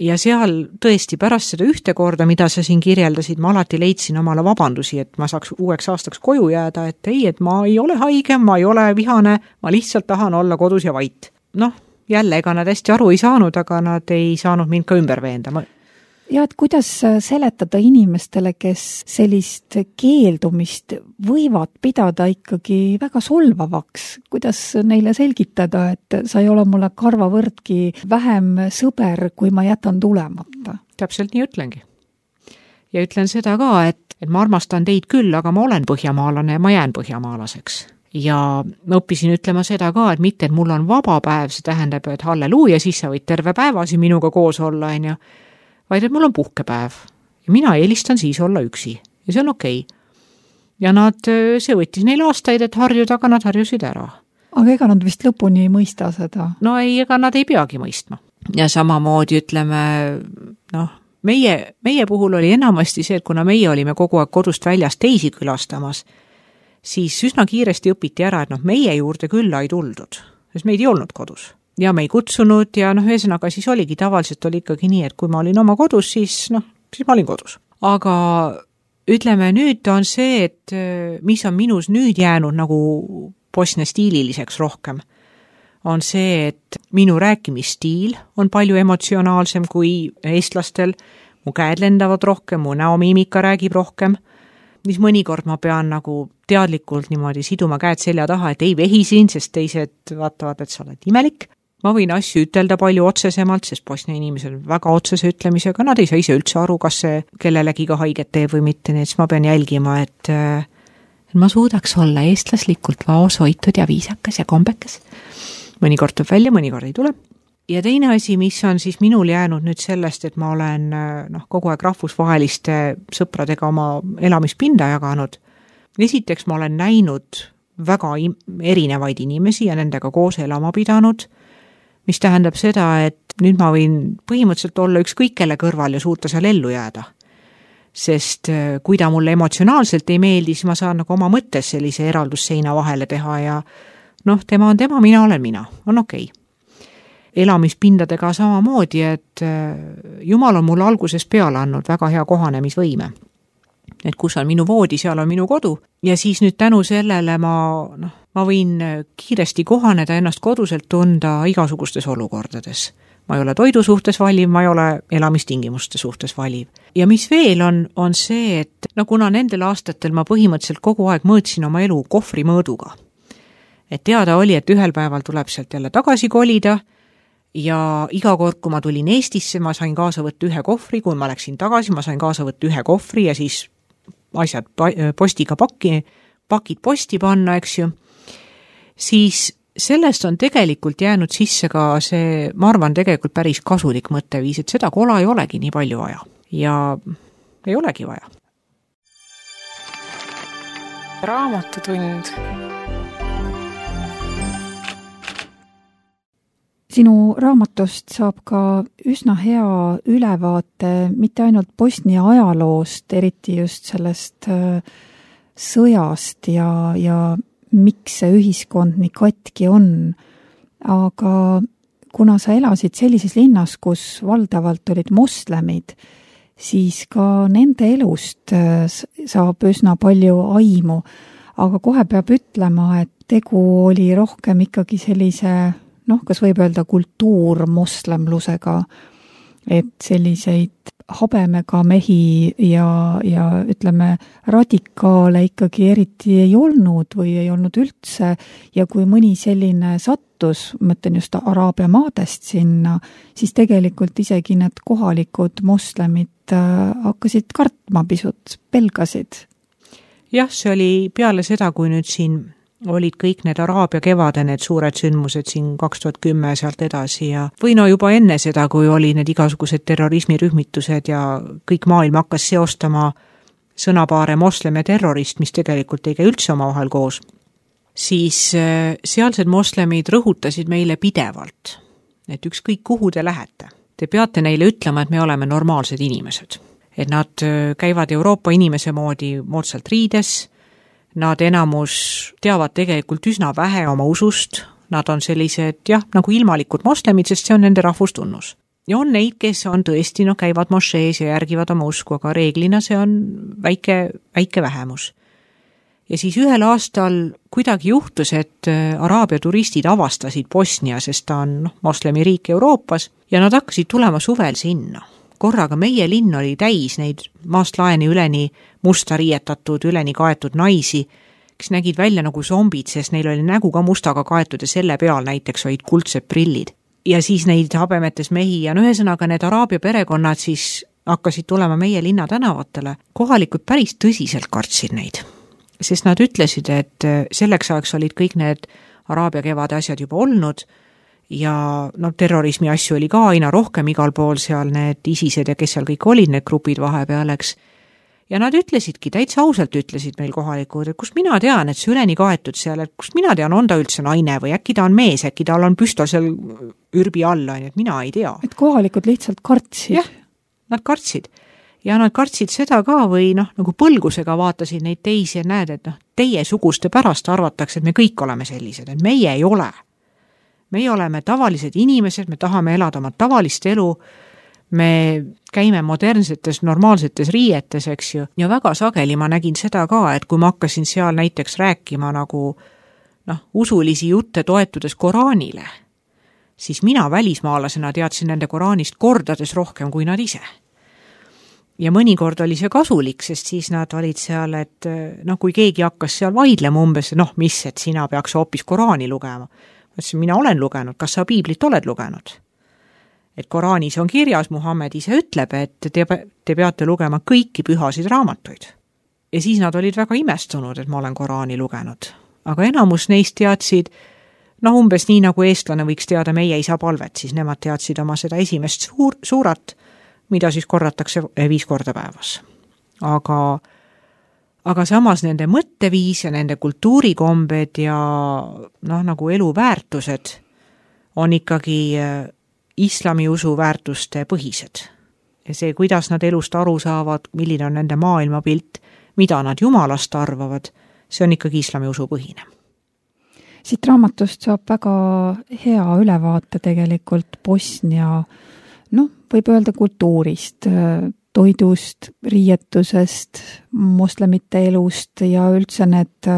Ja seal tõesti pärast seda ühte korda, mida sa siin kirjeldasid, ma alati leidsin omale vabandusi, et ma saaks uueks aastaks koju jääda, et ei, et ma ei ole haige, ma ei ole vihane, ma lihtsalt tahan olla kodus ja vait. Noh, jälle, ega nad hästi aru ei saanud, aga nad ei saanud mind ka ümber veenda. Ma ja et kuidas seletada inimestele, kes sellist keeldumist võivad pidada ikkagi väga solvavaks, kuidas neile selgitada, et sa ei ole mulle karvavõrdki vähem sõber, kui ma jätan tulemata? Täpselt nii ütlengi. Ja ütlen seda ka, et, et ma armastan teid küll, aga ma olen põhjamaalane ja ma jään põhjamaalaseks. Ja ma õppisin ütlema seda ka, et mitte, et mul on vaba päev, see tähendab, et halleluuja, siis sa võid terve päevasi minuga koos olla, on ju, vaid et mul on puhkepäev ja mina eelistan siis olla üksi ja see on okei. Ja nad, see võttis neil aastaid, et harjuda, aga nad harjusid ära. Aga ega nad vist lõpuni ei mõista seda? No ei, ega nad ei peagi mõistma. Ja samamoodi ütleme, noh, meie, meie puhul oli enamasti see, et kuna meie olime kogu aeg kodust väljas teisi külastamas, siis üsna kiiresti õpiti ära, et noh, meie juurde külla ei tuldud, sest meid ei olnud kodus. Ja me ei kutsunud ja noh, ühesõnaga siis oligi, tavaliselt oli ikkagi nii, et kui ma olin oma kodus, siis noh, siis ma olin kodus. Aga ütleme, nüüd on see, et mis on minus nüüd jäänud nagu Bosnia stiililiseks rohkem, on see, et minu rääkimisstiil on palju emotsionaalsem kui eestlastel, mu käed lendavad rohkem, mu näomiimika räägib rohkem, mis mõnikord ma pean nagu teadlikult niimoodi siduma käed selja taha, et ei vehisin, sest teised vaatavad, et sa oled imelik. Ma võin asju ütelda palju otsesemalt, sest Bosnia inimesed on väga otsese ütlemisega, nad ei saa ise üldse aru, kas see kellelegi ka haiget teeb või mitte, nii et ma pean jälgima, et, et ma suudaks olla eestlaslikult vaoshoitud ja viisakas ja kombekas. Mõnikord tuleb välja, mõnikord ei tule. Ja teine asi, mis on siis minul jäänud nüüd sellest, et ma olen noh, kogu aeg rahvusvaheliste sõpradega oma elamispinda jaganud. Esiteks ma olen näinud väga erinevaid inimesi ja nendega koos elama pidanud, mis tähendab seda, et nüüd ma võin põhimõtteliselt olla ükskõik kelle kõrval ja suuta seal ellu jääda. Sest kui ta mulle emotsionaalselt ei meeldi, siis ma saan nagu oma mõttes sellise eraldusseina vahele teha ja noh, tema on tema, mina olen mina, on okei. Elamispindadega samamoodi, et Jumal on mulle algusest peale andnud väga hea kohanemisvõime. Et kus on minu voodi, seal on minu kodu ja siis nüüd tänu sellele ma, noh, ma võin kiiresti kohaneda ennast koduselt tunda igasugustes olukordades. Ma ei ole toidu suhtes valiv, ma ei ole elamistingimuste suhtes valiv. Ja mis veel on, on see, et no kuna nendel aastatel ma põhimõtteliselt kogu aeg mõõtsin oma elu kohvri mõõduga. Et teada oli, et ühel päeval tuleb sealt jälle tagasi kolida ja iga kord, kui ma tulin Eestisse, ma sain kaasa võtta ühe kohvri, kui ma läksin tagasi, ma sain kaasa võtta ühe kohvri ja siis asjad postiga pakki, pakid posti panna, eks ju, siis sellest on tegelikult jäänud sisse ka see, ma arvan, tegelikult päris kasulik mõtteviis, et seda kola ei olegi nii palju vaja ja ei olegi vaja. Raamatutund. Sinu raamatust saab ka üsna hea ülevaate mitte ainult Bosnia ajaloost, eriti just sellest sõjast ja, ja miks see ühiskond nii katki on. Aga kuna sa elasid sellises linnas, kus valdavalt olid moslemid, siis ka nende elust saab üsna palju aimu. Aga kohe peab ütlema, et tegu oli rohkem ikkagi sellise noh, kas võib öelda kultuurmoslemlusega, et selliseid habemega mehi ja, ja ütleme radikaale ikkagi eriti ei olnud või ei olnud üldse ja kui mõni selline sattus, mõtlen just Araabia maadest sinna, siis tegelikult isegi need kohalikud moslemid hakkasid kartma pisut, pelgasid. Jah, see oli peale seda, kui nüüd siin olid kõik need Araabia kevade, need suured sündmused siin kaks tuhat kümme sealt edasi ja või no juba enne seda, kui oli need igasugused terrorismirühmitused ja kõik maailm hakkas seostama sõnapaare moslem ja terrorist, mis tegelikult ei käi üldse omavahel koos, siis sealsed moslemid rõhutasid meile pidevalt, et ükskõik kuhu te lähete, te peate neile ütlema, et me oleme normaalsed inimesed, et nad käivad Euroopa inimese moodi moodsalt riides. Nad enamus teavad tegelikult üsna vähe oma usust, nad on sellised, jah, nagu ilmalikud moslemid, sest see on nende rahvustunnus. Ja on neid, kes on tõesti, no käivad mošees ja järgivad oma usku, aga reeglina see on väike, väike vähemus. Ja siis ühel aastal kuidagi juhtus, et Araabia turistid avastasid Bosnia, sest ta on no, moslemi riik Euroopas, ja nad hakkasid tulema suvel sinna. Korraga meie linn oli täis neid maast laeni üleni musta riietatud, üleni kaetud naisi, kes nägid välja nagu zombid, sest neil oli nägu ka mustaga kaetud ja selle peal näiteks olid kuldsed prillid. Ja siis neid habemetes mehi ja no ühesõnaga need Araabia perekonnad siis hakkasid tulema meie linna tänavatele. Kohalikud päris tõsiselt kartsid neid, sest nad ütlesid, et selleks ajaks olid kõik need Araabia kevade asjad juba olnud ja no, terrorismi asju oli ka aina rohkem igal pool seal, need ISISed ja kes seal kõik olid, need grupid vahepealeks. Ja nad ütlesidki, täitsa ausalt ütlesid meil kohalikud, et kust mina tean, et see üleni kaetud seal, et kust mina tean, on ta üldse naine või äkki ta on mees, äkki tal on püstol seal ürbi alla, et mina ei tea. Et kohalikud lihtsalt kartsid. Jah, nad kartsid. Ja nad kartsid seda ka või noh, nagu põlgusega vaatasid neid teisi ja näed, et noh, teie suguste pärast arvatakse, et me kõik oleme sellised, et meie ei ole. Meie oleme tavalised inimesed, me tahame elada oma tavalist elu, me käime modernsetes, normaalsetes riietes, eks ju, ja väga sageli ma nägin seda ka, et kui ma hakkasin seal näiteks rääkima nagu noh, usulisi jutte toetudes Koraanile, siis mina välismaalasena teadsin nende Koraanist kordades rohkem kui nad ise. Ja mõnikord oli see kasulik, sest siis nad olid seal, et noh, kui keegi hakkas seal vaidlema umbes, noh, mis, et sina peaks hoopis Koraani lugema. Mõtlesin, mina olen lugenud, kas sa piiblit oled lugenud? Et Koraanis on kirjas, Muhammed ise ütleb, et te, te peate lugema kõiki pühasid raamatuid. Ja siis nad olid väga imestunud, et ma olen Koraani lugenud. Aga enamus neist teadsid, noh umbes nii nagu eestlane võiks teada meie isa palvet, siis nemad teadsid oma seda esimest suur, suurat, mida siis korratakse viis korda päevas. Aga Aga samas nende mõtteviis ja nende kultuurikombed ja noh, nagu eluväärtused on ikkagi islamiusu väärtuste põhised. Ja see, kuidas nad elust aru saavad, milline on nende maailmapilt, mida nad jumalast arvavad, see on ikkagi islamiusu põhine. Siit raamatust saab väga hea ülevaate tegelikult Bosnia, noh, võib öelda kultuurist, toidust, riietusest, moslemite elust ja üldse need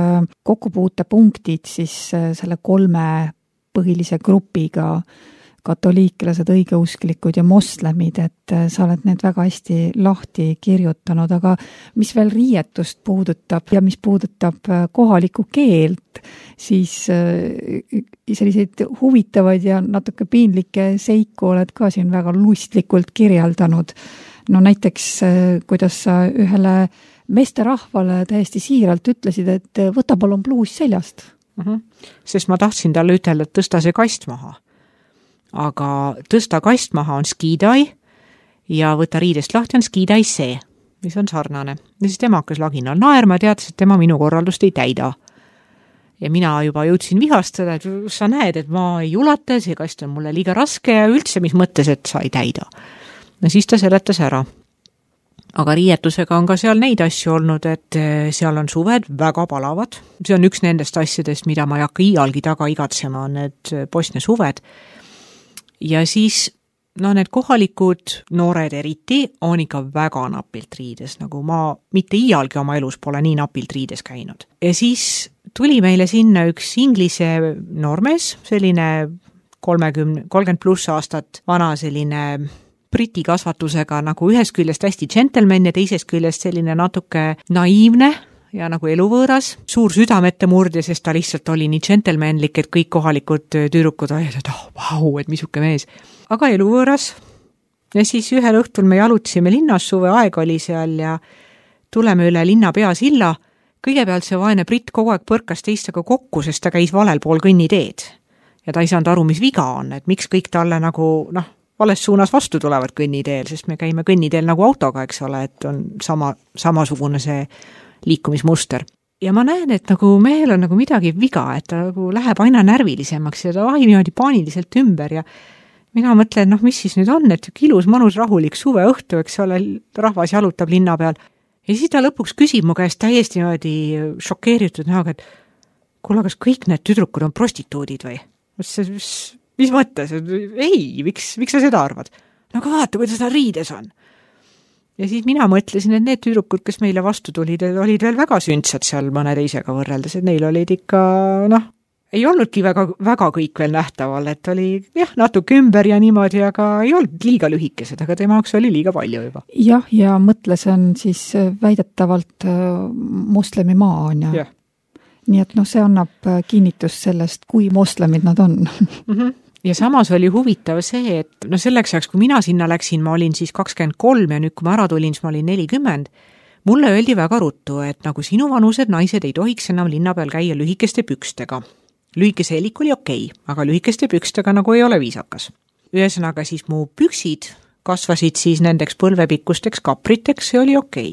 kokkupuutepunktid siis selle kolme põhilise grupiga, katoliiklased, õigeusklikud ja moslemid, et sa oled need väga hästi lahti kirjutanud, aga mis veel riietust puudutab ja mis puudutab kohalikku keelt, siis selliseid huvitavaid ja natuke piinlikke seiku oled ka siin väga lustlikult kirjeldanud. No näiteks, kuidas sa ühele meesterahvale täiesti siiralt ütlesid, et võta palun pluus seljast. Mm-hmm. Sest ma tahtsin talle ütelda, et tõsta see kast maha. Aga tõsta kast maha on skidai ja võtta riidest lahti on skidai see, mis on sarnane. Ja siis tema hakkas laginal naerma ja teadis, et tema minu korraldust ei täida. Ja mina juba jõudsin vihastada, et sa näed, et ma ei ulata, see kast on mulle liiga raske ja üldse mis mõttes, et sa ei täida. No siis ta seletas ära. Aga riietusega on ka seal neid asju olnud, et seal on suved väga palavad. See on üks nendest asjadest, mida ma ei hakka iialgi taga igatsema, on need Bosnia suved. Ja siis, no need kohalikud noored eriti on ikka väga napilt riides, nagu ma mitte iialgi oma elus pole nii napilt riides käinud. Ja siis tuli meile sinna üks inglise noormees, selline kolmekümne, kolmkümmend pluss aastat vana selline briti kasvatusega nagu ühest küljest hästi gentleman ja teisest küljest selline natuke naiivne ja nagu eluvõõras, suur südamette murdja, sest ta lihtsalt oli nii gentlemanlik, et kõik kohalikud tüdrukud olid, et oh, vau, et misuke mees. Aga eluvõõras. Ja siis ühel õhtul me jalutasime linnas, suve aeg oli seal ja tuleme üle linna peasilla. Kõigepealt see vaene britt kogu aeg põrkas teistaga kokku, sest ta käis valel pool kõnniteed. Ja ta ei saanud aru, mis viga on, et miks kõik talle nagu, noh, vales suunas vastu tulevad kõnniteel, sest me käime kõnniteel nagu autoga, eks ole, et on sama, samasugune see liikumismuster. Ja ma näen, et nagu mehel on nagu midagi viga, et ta nagu läheb aina närvilisemaks ja ta vahib niimoodi paaniliselt ümber ja mina mõtlen, noh, mis siis nüüd on, et ilus, manus, rahulik suve õhtu, eks ole, rahvas jalutab linna peal. Ja siis ta lõpuks küsib mu käest täiesti niimoodi šokeeritud näoga, et kuule, kas kõik need tüdrukud on prostituudid või? Mis, mis, mis mõttes? Ei, miks, miks sa seda arvad? No aga vaata, kuidas ta riides on. Ja siis mina mõtlesin, et need tüdrukud, kes meile vastu tulid, olid veel väga sündsad seal mõne teisega võrreldes, et neil olid ikka, noh, ei olnudki väga, väga kõik veel nähtaval, et oli jah, natuke ümber ja niimoodi, aga ei olnud liiga lühikesed, aga tema jaoks oli liiga palju juba. Jah, ja mõtle, see on siis väidetavalt moslemi maa on ja. Yeah. Nii et noh, see annab kinnitust sellest, kui moslemid nad on. Mm-hmm. Ja samas oli huvitav see, et no selleks ajaks, kui mina sinna läksin, ma olin siis kakskümmend kolm ja nüüd, kui ma ära tulin, siis ma olin nelikümmend. Mulle öeldi väga ruttu, et nagu sinu vanused naised ei tohiks enam linna peal käia lühikeste pükstega. Lühikese helik oli okei, aga lühikeste pükstega nagu ei ole viisakas. Ühesõnaga siis mu püksid kasvasid siis nendeks põlvepikkusteks kapriteks, see oli okei.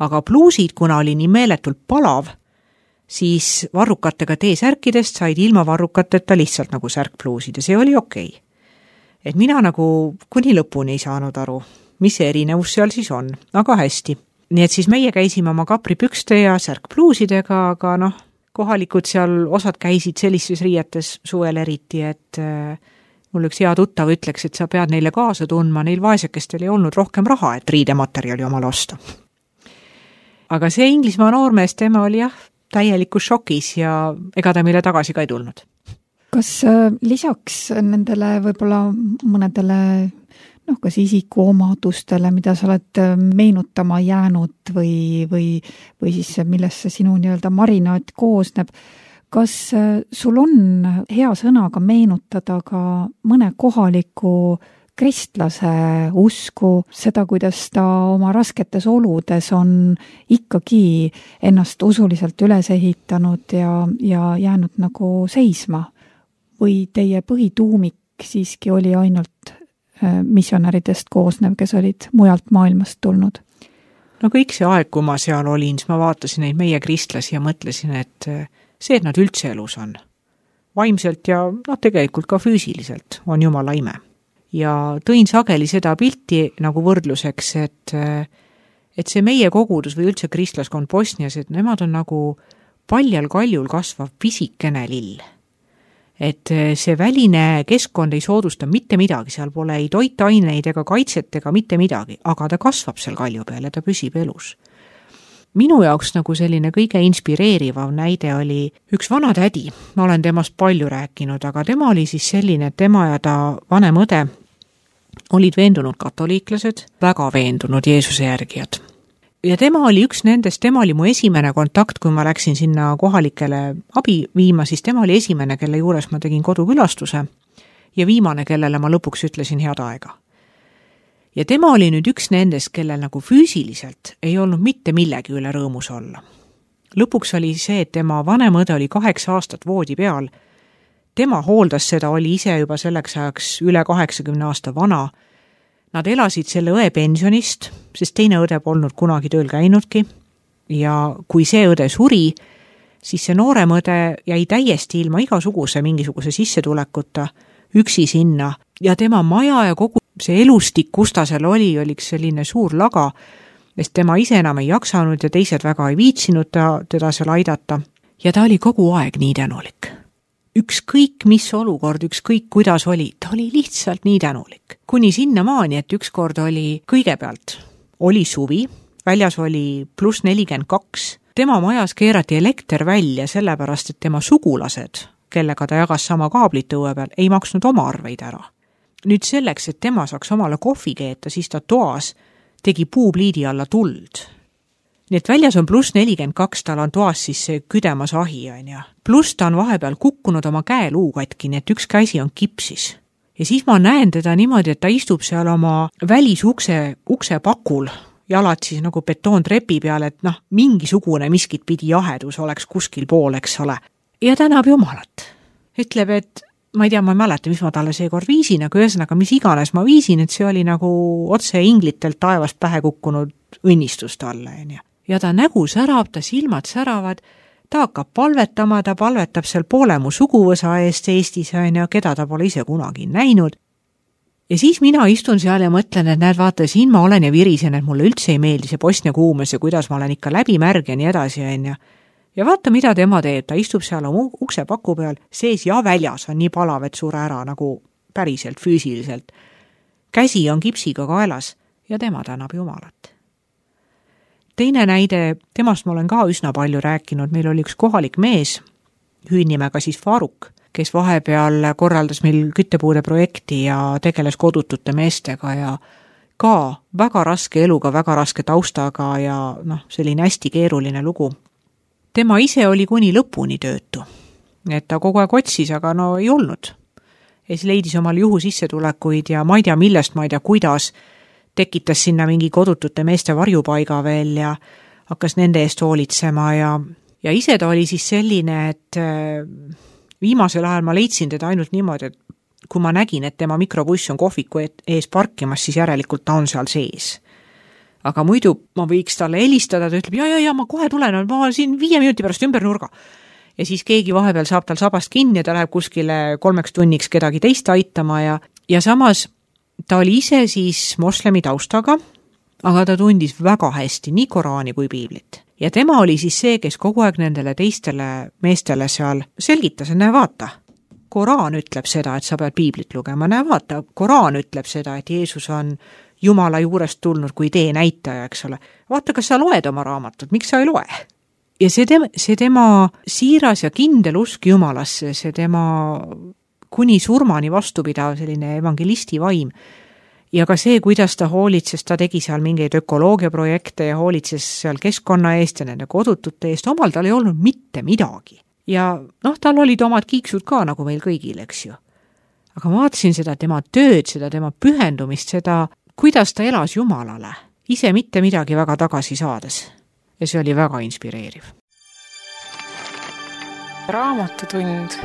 Aga pluusid, kuna oli nii meeletult palav, siis varrukatega T-särkidest said ilma varrukateta lihtsalt nagu särkpluusid ja see oli okei. Et mina nagu kuni lõpuni ei saanud aru, mis see erinevus seal siis on, aga hästi. Nii et siis meie käisime oma kapripükste ja särkpluusidega, aga noh, kohalikud seal osad käisid sellises riietes suvel eriti, et äh, mul üks hea tuttav ütleks, et sa pead neile kaasa tundma, neil vaesekestel ei olnud rohkem raha, et riidematerjali omal osta. Aga see Inglismaa noormees, tema oli jah, täielikus šokis ja ega ta meile tagasi ka ei tulnud. Kas lisaks nendele võib-olla mõnedele noh, kas isikuomadustele, mida sa oled meenutama jäänud või, või, või siis millesse sinu nii-öelda marinaat koosneb, kas sul on hea sõnaga meenutada ka mõne kohaliku kristlase usku, seda, kuidas ta oma rasketes oludes on ikkagi ennast usuliselt üles ehitanud ja, ja jäänud nagu seisma? Või teie põhituumik siiski oli ainult missionäridest koosnev, kes olid mujalt maailmast tulnud? No kõik see aeg, kui ma seal olin, siis ma vaatasin neid meie kristlasi ja mõtlesin, et see, et nad üldse elus on. Vaimselt ja no, tegelikult ka füüsiliselt on Jumala ime. Ja tõin sageli seda pilti nagu võrdluseks, et, et see meie kogudus või üldse kristlaskond Bosnias, et nemad on nagu paljal kaljul kasvav pisikene lill. Et see väline keskkond ei soodusta mitte midagi, seal pole ei toitaineid ega kaitset ega mitte midagi, aga ta kasvab seal kalju peal ja ta püsib elus. Minu jaoks nagu selline kõige inspireerivav näide oli üks vana tädi, ma olen temast palju rääkinud, aga tema oli siis selline, et tema ja ta vanem õde olid veendunud katoliiklased, väga veendunud Jeesuse järgijad. Ja tema oli üks nendest, tema oli mu esimene kontakt, kui ma läksin sinna kohalikele abi viima, siis tema oli esimene, kelle juures ma tegin kodukülastuse ja viimane, kellele ma lõpuks ütlesin head aega. Ja tema oli nüüd üks nendest, kellel nagu füüsiliselt ei olnud mitte millegi üle rõõmus olla. lõpuks oli see, et tema vanem õde oli kaheksa aastat voodi peal. Tema hooldas seda, oli ise juba selleks ajaks üle kaheksakümne aasta vana. Nad elasid selle õe pensionist, sest teine õde polnud kunagi tööl käinudki. Ja kui see õde suri, siis see noorem õde jäi täiesti ilma igasuguse mingisuguse sissetulekuta üksi sinna. Ja tema maja ja kogu see elustik, kus ta seal oli, oli selline suur laga, sest tema ise enam ei jaksanud ja teised väga ei viitsinud ta, teda seal aidata. Ja ta oli kogu aeg nii tänulik. Ükskõik mis olukord, ükskõik kuidas oli, ta oli lihtsalt nii tänulik. Kuni sinna maani, et ükskord oli kõigepealt, oli suvi, väljas oli pluss nelikümmend kaks, tema majas keerati elekter välja sellepärast, et tema sugulased, kellega ta jagas sama kaablit õue peal, ei maksnud oma arveid ära. Nüüd selleks, et tema saaks omale kohvi keeta, siis ta toas tegi puupliidi alla tuld. Nii et väljas on pluss nelikümmend kaks, tal on toas siis see küdemas ahi, on ja. Pluss ta on vahepeal kukkunud oma käeluu katki, nii et üks käsi on kipsis. Ja siis ma näen teda niimoodi, et ta istub seal oma välisukse ukse pakul, jalad siis nagu betoontrepi peal, et noh, mingisugune miskit pidi jahedus oleks kuskil pool, eks ole. Ja tänab Jumalat. Ütleb, et ma ei tea, ma ei mäleta, mis ma talle seekord viisin, aga ühesõnaga, mis iganes ma viisin, et see oli nagu otse inglitelt taevast pähe kukkunud õnnistus talle. Ja, ja ta nägu särab, ta silmad säravad, ta hakkab palvetama, ta palvetab seal poole mu suguvõsa eest Eestis, ja keda ta pole ise kunagi näinud. Ja siis mina istun seal ja mõtlen, et näed, vaata, siin ma olen ja virisen, et mulle üldse ei meeldi see Bosnia kuumes ja kuidas ma olen ikka läbi märg ja nii edasi, ja Ja vaata, mida tema teeb, ta istub seal oma ukse paku peal, sees ja väljas on nii palav, et sure ära nagu päriselt, füüsiliselt. Käsi on kipsiga kaelas ja tema tänab Jumalat. Teine näide, temast ma olen ka üsna palju rääkinud, meil oli üks kohalik mees, hüüdnimega siis Faruk, kes vahepeal korraldas meil küttepuude projekti ja tegeles kodutute meestega ja ka väga raske eluga, väga raske taustaga ja noh, selline hästi keeruline lugu. Tema ise oli kuni lõpuni töötu, et ta kogu aeg otsis, aga no ei olnud. Ja siis leidis omal juhu sissetulekuid ja ma ei tea millest, ma ei tea kuidas, tekitas sinna mingi kodutute meeste varjupaiga veel ja hakkas nende eest hoolitsema ja, ja ise ta oli siis selline, et viimasel ajal ma leidsin teda ainult niimoodi, et kui ma nägin, et tema mikrobuss on kohviku ees parkimas, siis järelikult ta on seal sees. Aga muidu ma võiks talle helistada, ta ütleb, ja, ja, ja, ma kohe tulen, ma siin viie minuti pärast ümber nurga. Ja siis keegi vahepeal saab tal sabast kinni ja ta läheb kuskile kolmeks tunniks kedagi teist aitama ja, ja samas ta oli ise siis moslemi taustaga, aga ta tundis väga hästi nii Koraani kui piiblit. Ja tema oli siis see, kes kogu aeg nendele teistele meestele seal selgitas, näe vaata, Koraan ütleb seda, et sa pead piiblit lugema, näe vaata, Koraan ütleb seda, et Jeesus on Jumala juurest tulnud kui tee näitaja, eks ole. Vaata, kas sa loed oma raamatut, miks sa ei loe? Ja see tema, see tema siiras ja kindel usk Jumalasse, see tema kuni surmani vastupidav selline evangelisti vaim. Ja ka see, kuidas ta hoolitses, ta tegi seal mingeid ökoloogiaprojekte ja hoolitses seal keskkonna eest ja nende kodutute eest, omal tal ei olnud mitte midagi. Ja noh, tal olid omad kiiksud ka nagu meil kõigil, eks ju. Aga ma vaatasin seda tema tööd, seda tema pühendumist, seda kuidas ta elas Jumalale, ise mitte midagi väga tagasi saades. Ja see oli väga inspireeriv. Raamatutund.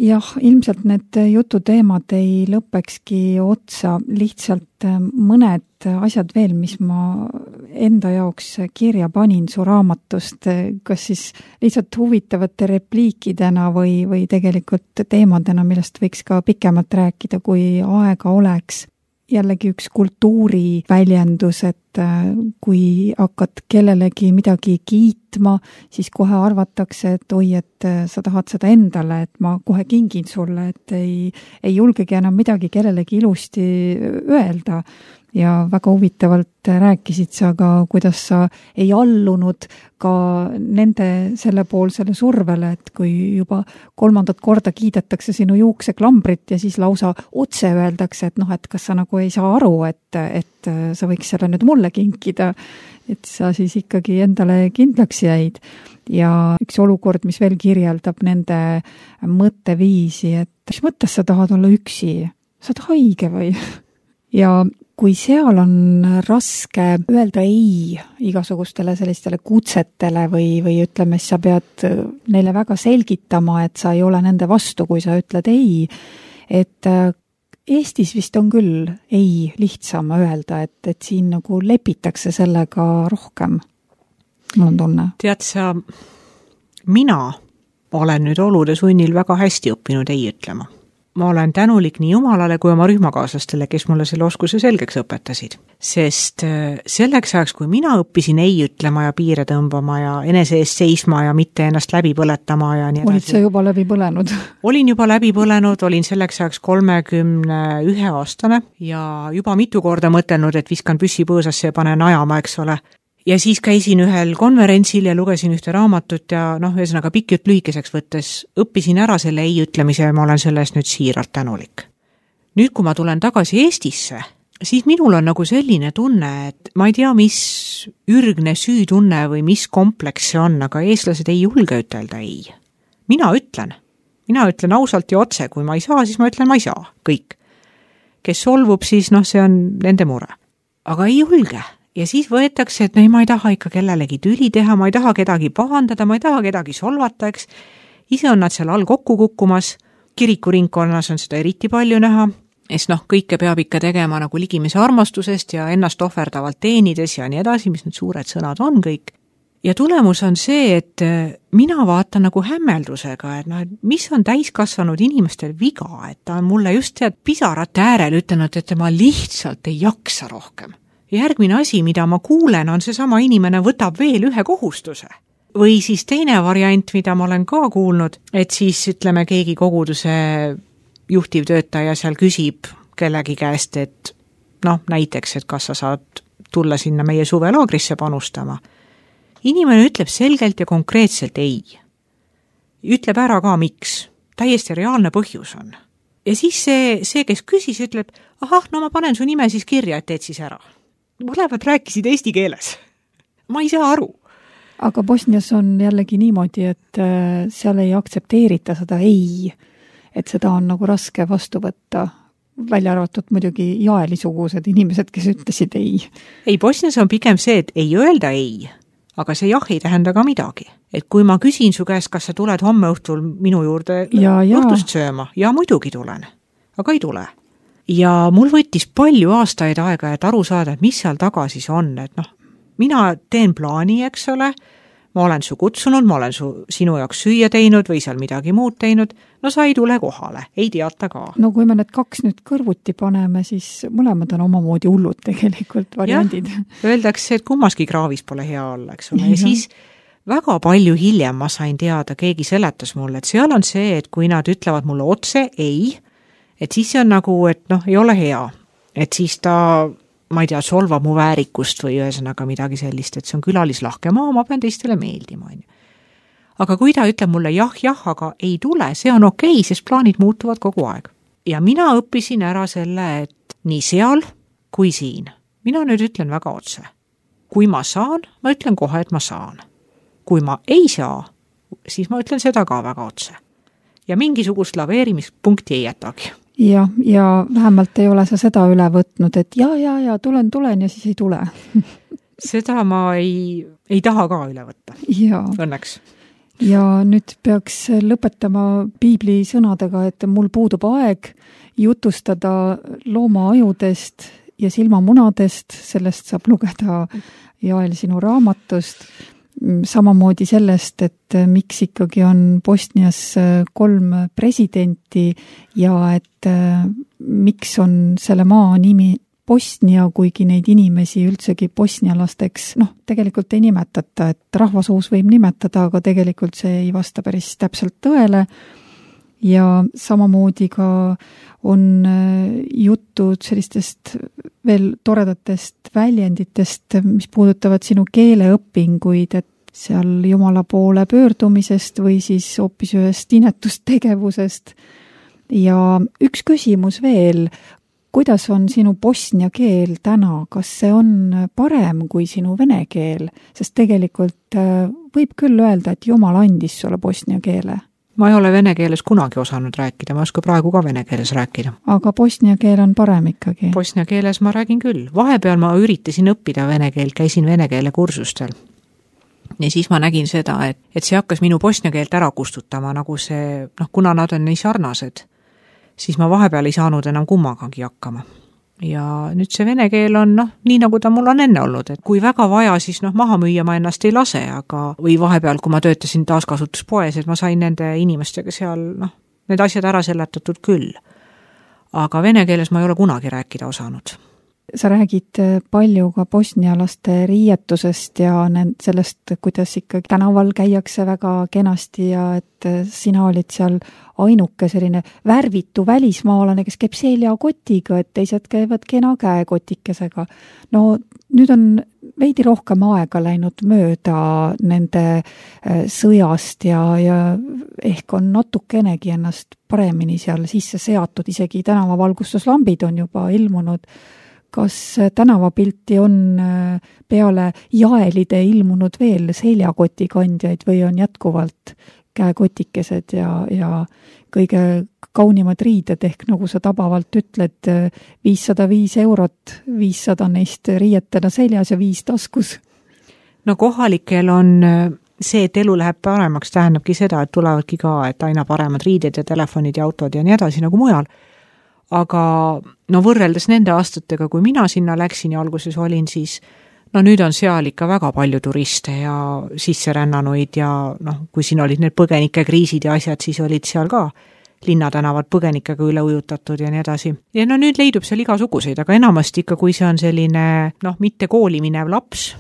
Jah, ilmselt need jututeemad ei lõpekski otsa, lihtsalt mõned asjad veel, mis ma enda jaoks kirja panin su raamatust, kas siis lihtsalt huvitavate repliikidena või, või tegelikult teemadena, millest võiks ka pikemalt rääkida, kui aega oleks. Jällegi üks kultuuri väljendus, et kui hakkad kellelegi midagi kiitma, siis kohe arvatakse, et oi, et sa tahad seda endale, et ma kohe kingin sulle, et ei, ei julgegi enam midagi kellelegi ilusti öelda. Ja väga huvitavalt rääkisid sa ka, kuidas sa ei allunud ka nende sellepoolsele survele, et kui juba kolmandat korda kiidetakse sinu juukseklambrit ja siis lausa otse öeldakse, et noh, et kas sa nagu ei saa aru, et, et sa võiks selle nüüd mulle kinkida, et sa siis ikkagi endale kindlaks jäid. Ja üks olukord, mis veel kirjeldab nende mõtteviisi, et mis mõttes sa tahad olla üksi? Sa oled haige või? ja kui seal on raske öelda ei igasugustele sellistele kutsetele või, või ütleme, sa pead neile väga selgitama, et sa ei ole nende vastu, kui sa ütled ei, et Eestis vist on küll ei lihtsam öelda, et, et siin nagu lepitakse sellega rohkem, mul on tunne. Tead sa, mina olen nüüd olude sunnil väga hästi õppinud ei ütlema. Ma olen tänulik nii Jumalale kui oma rühmakaaslastele, kes mulle selle oskuse selgeks õpetasid. Sest selleks ajaks, kui mina õppisin ei ütlema ja piire tõmbama ja enese eest seisma ja mitte ennast läbi põletama ja nii edasi. Olid sa juba läbi põlenud? Olin juba läbi põlenud, olin selleks ajaks kolmekümne ühe aastane ja juba mitu korda mõtelnud, et viskan püssi põõsasse ja panen ajama, eks ole. Ja siis käisin ühel konverentsil ja lugesin ühte raamatut ja noh, ühesõnaga pikk jutt lühikeseks võttes õppisin ära selle ei ütlemise ja ma olen sellest nüüd siiralt tänulik. Nüüd, kui ma tulen tagasi Eestisse, siis minul on nagu selline tunne, et ma ei tea, mis ürgne süütunne või mis kompleks see on, aga eestlased ei julge ütelda ei. Mina ütlen. Mina ütlen ausalt ja otse, kui ma ei saa, siis ma ütlen, ma ei saa. Kõik. Kes solvub, siis noh, see on nende mure. Aga ei julge. Ja siis võetakse, et no, ma ei taha ikka kellelegi tüli teha, ma ei taha kedagi pahandada, ma ei taha kedagi solvata, eks. Ise on nad seal all kokku kukkumas, kirikuringkonnas on seda eriti palju näha, es noh, kõike peab ikka tegema nagu ligimise armastusest ja ennast ohverdavalt teenides ja nii edasi, mis need suured sõnad on kõik. Ja tulemus on see, et mina vaatan nagu hämmeldusega, et noh, mis on täiskasvanud inimestel viga, et ta on mulle just tead pisarate äärel ütelnud, et ma lihtsalt ei jaksa rohkem. Järgmine asi, mida ma kuulen, on see sama inimene võtab veel ühe kohustuse. Või siis teine variant, mida ma olen ka kuulnud, et siis ütleme keegi koguduse juhtivtöötaja seal küsib kellegi käest, et noh, näiteks, et kas sa saad tulla sinna meie suvelaagrisse panustama. Inimene ütleb selgelt ja konkreetselt ei. Ütleb ära ka miks. Täiesti reaalne põhjus on. Ja siis see, see kes küsis, ütleb, ahah, no ma panen su nime siis kirja, et teed siis ära. Mõlemad rääkisid eesti keeles. Ma ei saa aru. Aga Bosnias on jällegi niimoodi, et seal ei aktsepteerita seda ei, et seda on nagu raske vastu võtta, välja arvatud muidugi jaelisugused inimesed, kes ütlesid ei. Ei, Bosnias on pigem see, et ei öelda ei, aga see jah ei tähenda ka midagi. Et kui ma küsin su käest, kas sa tuled homme õhtul minu juurde ja, õhtust sööma, ja muidugi tulen, aga ei tule. Ja mul võttis palju aastaid aega, et aru saada, et mis seal taga siis on, et noh, mina teen plaani, eks ole, ma olen su kutsunud, ma olen su, sinu jaoks süüa teinud või seal midagi muud teinud, no sa ei tule kohale, ei teata ka. No kui me need kaks nüüd kõrvuti paneme, siis mõlemad on omamoodi hullud tegelikult variandid. Ja, öeldakse, et kummaski kraavis pole hea olla, eks ole, ja siis väga palju hiljem ma sain teada, keegi seletas mulle, et seal on see, et kui nad ütlevad mulle otse ei, et siis see on nagu, et noh, ei ole hea. Et siis ta, ma ei tea, solvab mu väärikust või ühesõnaga midagi sellist, et see on külalislahke maa, ma pean teistele meeldima. Aga kui ta ütleb mulle jah, jah, aga ei tule, see on okei, sest plaanid muutuvad kogu aeg. Ja mina õppisin ära selle, et nii seal kui siin. Mina nüüd ütlen väga otse. Kui ma saan, ma ütlen kohe, et ma saan. Kui ma ei saa, siis ma ütlen seda ka väga otse. Ja mingisugust laveerimispunkti ei jätagi. Ja, ja vähemalt ei ole sa seda üle võtnud, et ja, ja, ja tulen, tulen ja siis ei tule. Seda ma ei, ei taha ka üle võtta. Ja. Õnneks. Ja nüüd peaks lõpetama piibli sõnadega, et mul puudub aeg jutustada loomaajudest ja silmamunadest, sellest saab lugeda Jael sinu raamatust. Samamoodi sellest, et miks ikkagi on Bosnias kolm presidenti ja et miks on selle maa nimi Bosnia, kuigi neid inimesi üldsegi bosnialasteks, noh, tegelikult ei nimetata, et rahvasuus võib nimetada, aga tegelikult see ei vasta päris täpselt tõele. Ja samamoodi ka on juttu sellistest veel toredatest väljenditest, mis puudutavad sinu keeleõpinguid, et seal Jumala poole pöördumisest või siis hoopis ühest inetustegevusest. Ja üks küsimus veel, kuidas on sinu bosnia keel täna? Kas see on parem kui sinu vene keel? Sest tegelikult võib küll öelda, et Jumal andis sulle bosnia keele. ma ei ole vene keeles kunagi osanud rääkida, ma ei oska praegu ka vene keeles rääkida. Aga bosnia keel on parem ikkagi? Bosnia keeles ma räägin küll. Vahepeal ma üritasin õppida vene keelt, käisin vene keele kursustel. Ja siis ma nägin seda, et, et see hakkas minu bosnia keelt ära kustutama, nagu see, noh, kuna nad on nii sarnased, siis ma vahepeal ei saanud enam kummagagi hakkama. Ja nüüd see vene keel on, noh, nii nagu ta mul on enne olnud, et kui väga vaja, siis noh, maha müüa ma ennast ei lase, aga või vahepeal, kui ma töötasin taaskasutuspoes, et ma sain nende inimestega seal, noh, need asjad ära seletatud küll. Aga vene keeles ma ei ole kunagi rääkida osanud. Sa räägid palju ka bosnialaste riietusest ja sellest, kuidas ikkagi tänaval käiakse väga kenasti ja et sina olid seal ainuke selline värvitu välismaalane, kes käib seljakotiga, et teised käivad kena käekotikesega. No nüüd on veidi rohkem aega läinud mööda nende sõjast ja, ja ehk on natukenegi ennast paremini seal sisse seatud, isegi tänavavalgustuslambid on juba ilmunud. Kas tänavapilti on peale jaelide ilmunud veel seljakotikandjaid või on jätkuvalt käekotikesed ja, ja kõige kaunimad riided ehk nagu sa tabavalt ütled, viissada viis eurot, viissada neist riietena seljas ja viis taskus? No kohalikel on see, et elu läheb paremaks, tähendabki seda, et tulevadki ka, et aina paremad riided ja telefonid ja autod ja nii edasi nagu mujal. Aga no võrreldes nende aastatega, kui mina sinna läksin ja alguses olin, siis no nüüd on seal ikka väga palju turiste ja sisserännanuid ja noh, kui siin olid need põgenike kriisid ja asjad, siis olid seal ka linnatänavad põgenikega üle ujutatud ja nii edasi. Ja no nüüd leidub seal igasuguseid, aga enamasti ikka, kui see on selline noh, mitte kooli minev laps,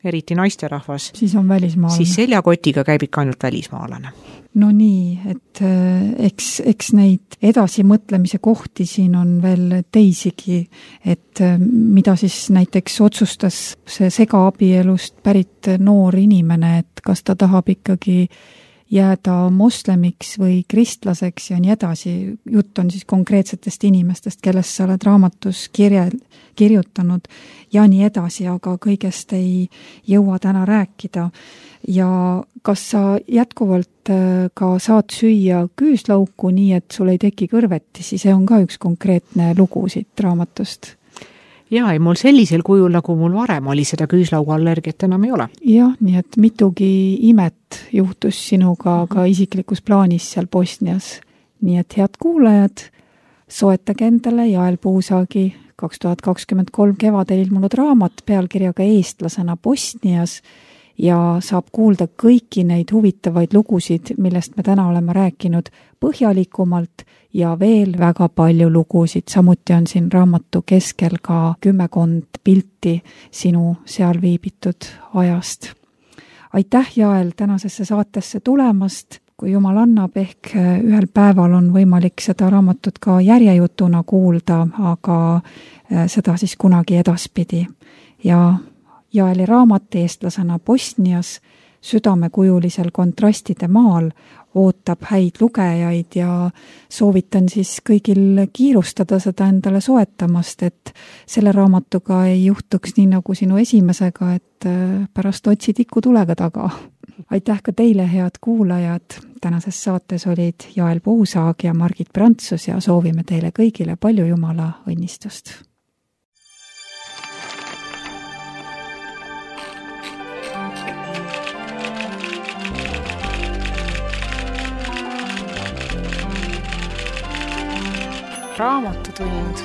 eriti naisterahvas, siis on välismaalane. Siis seljakotiga käib ikka ainult välismaalane. No nii, et eks, eks neid edasimõtlemise kohti siin on veel teisigi, et mida siis näiteks otsustas see segaabielust pärit noor inimene, et kas ta tahab ikkagi jääda moslemiks või kristlaseks ja nii edasi. Jutt on siis konkreetsetest inimestest, kellest sa oled raamatus kirje, kirjutanud ja nii edasi, aga kõigest ei jõua täna rääkida. Ja kas sa jätkuvalt ka saad süüa küüslauku nii, et sul ei teki kõrvetisi, see on ka üks konkreetne lugu siit raamatust. Jaa, ei mul sellisel kujul, nagu mul varem oli, seda küüslaugu allergiat enam ei ole. Jah, nii et mitugi imet juhtus sinuga ka isiklikus plaanis seal Bosnias. Nii et head kuulajad, soetage endale Jael Puusaagi kaks tuhat kakskümmend kolm kevadel ilmunud raamat pealkirjaga Eestlasena Bosnias ja saab kuulda kõiki neid huvitavaid lugusid, millest me täna oleme rääkinud põhjalikumalt ja veel väga palju lugusid. Samuti on siin raamatu keskel ka kümmekond pilti sinu seal viibitud ajast. Aitäh, Jael, tänasesse saatesse tulemast. Kui Jumal annab, ehk ühel päeval on võimalik seda raamatut ka järjejutuna kuulda, aga seda siis kunagi edaspidi. Ja Jaeli raamat Eestlasena Bosnias südamekujulisel kontrastide maal ootab häid lugejaid ja soovitan siis kõigil kiirustada seda endale soetamast, et selle raamatuga ei juhtuks nii nagu sinu esimesega, et pärast otsid ikku tulega taga. Aitäh ka teile, head kuulajad. Tänases saates olid Jael Puusaag ja Margit Prantsus ja soovime teile kõigile palju Jumala õnnistust. Raamatutund.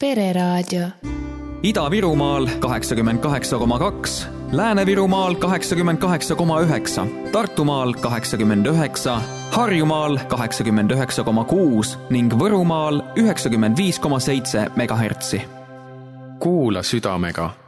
Pereraadio. Ida-Virumaal kaheksakümmend kaheksa koma kaks, Lääne-Virumaal kaheksakümmend kaheksa koma üheksa, Tartumaal kaheksakümmend üheksa, Harjumaal kaheksakümmend üheksa koma kuus ning Võrumaal üheksakümmend viis koma seitse megahertsi. Kuula südamega.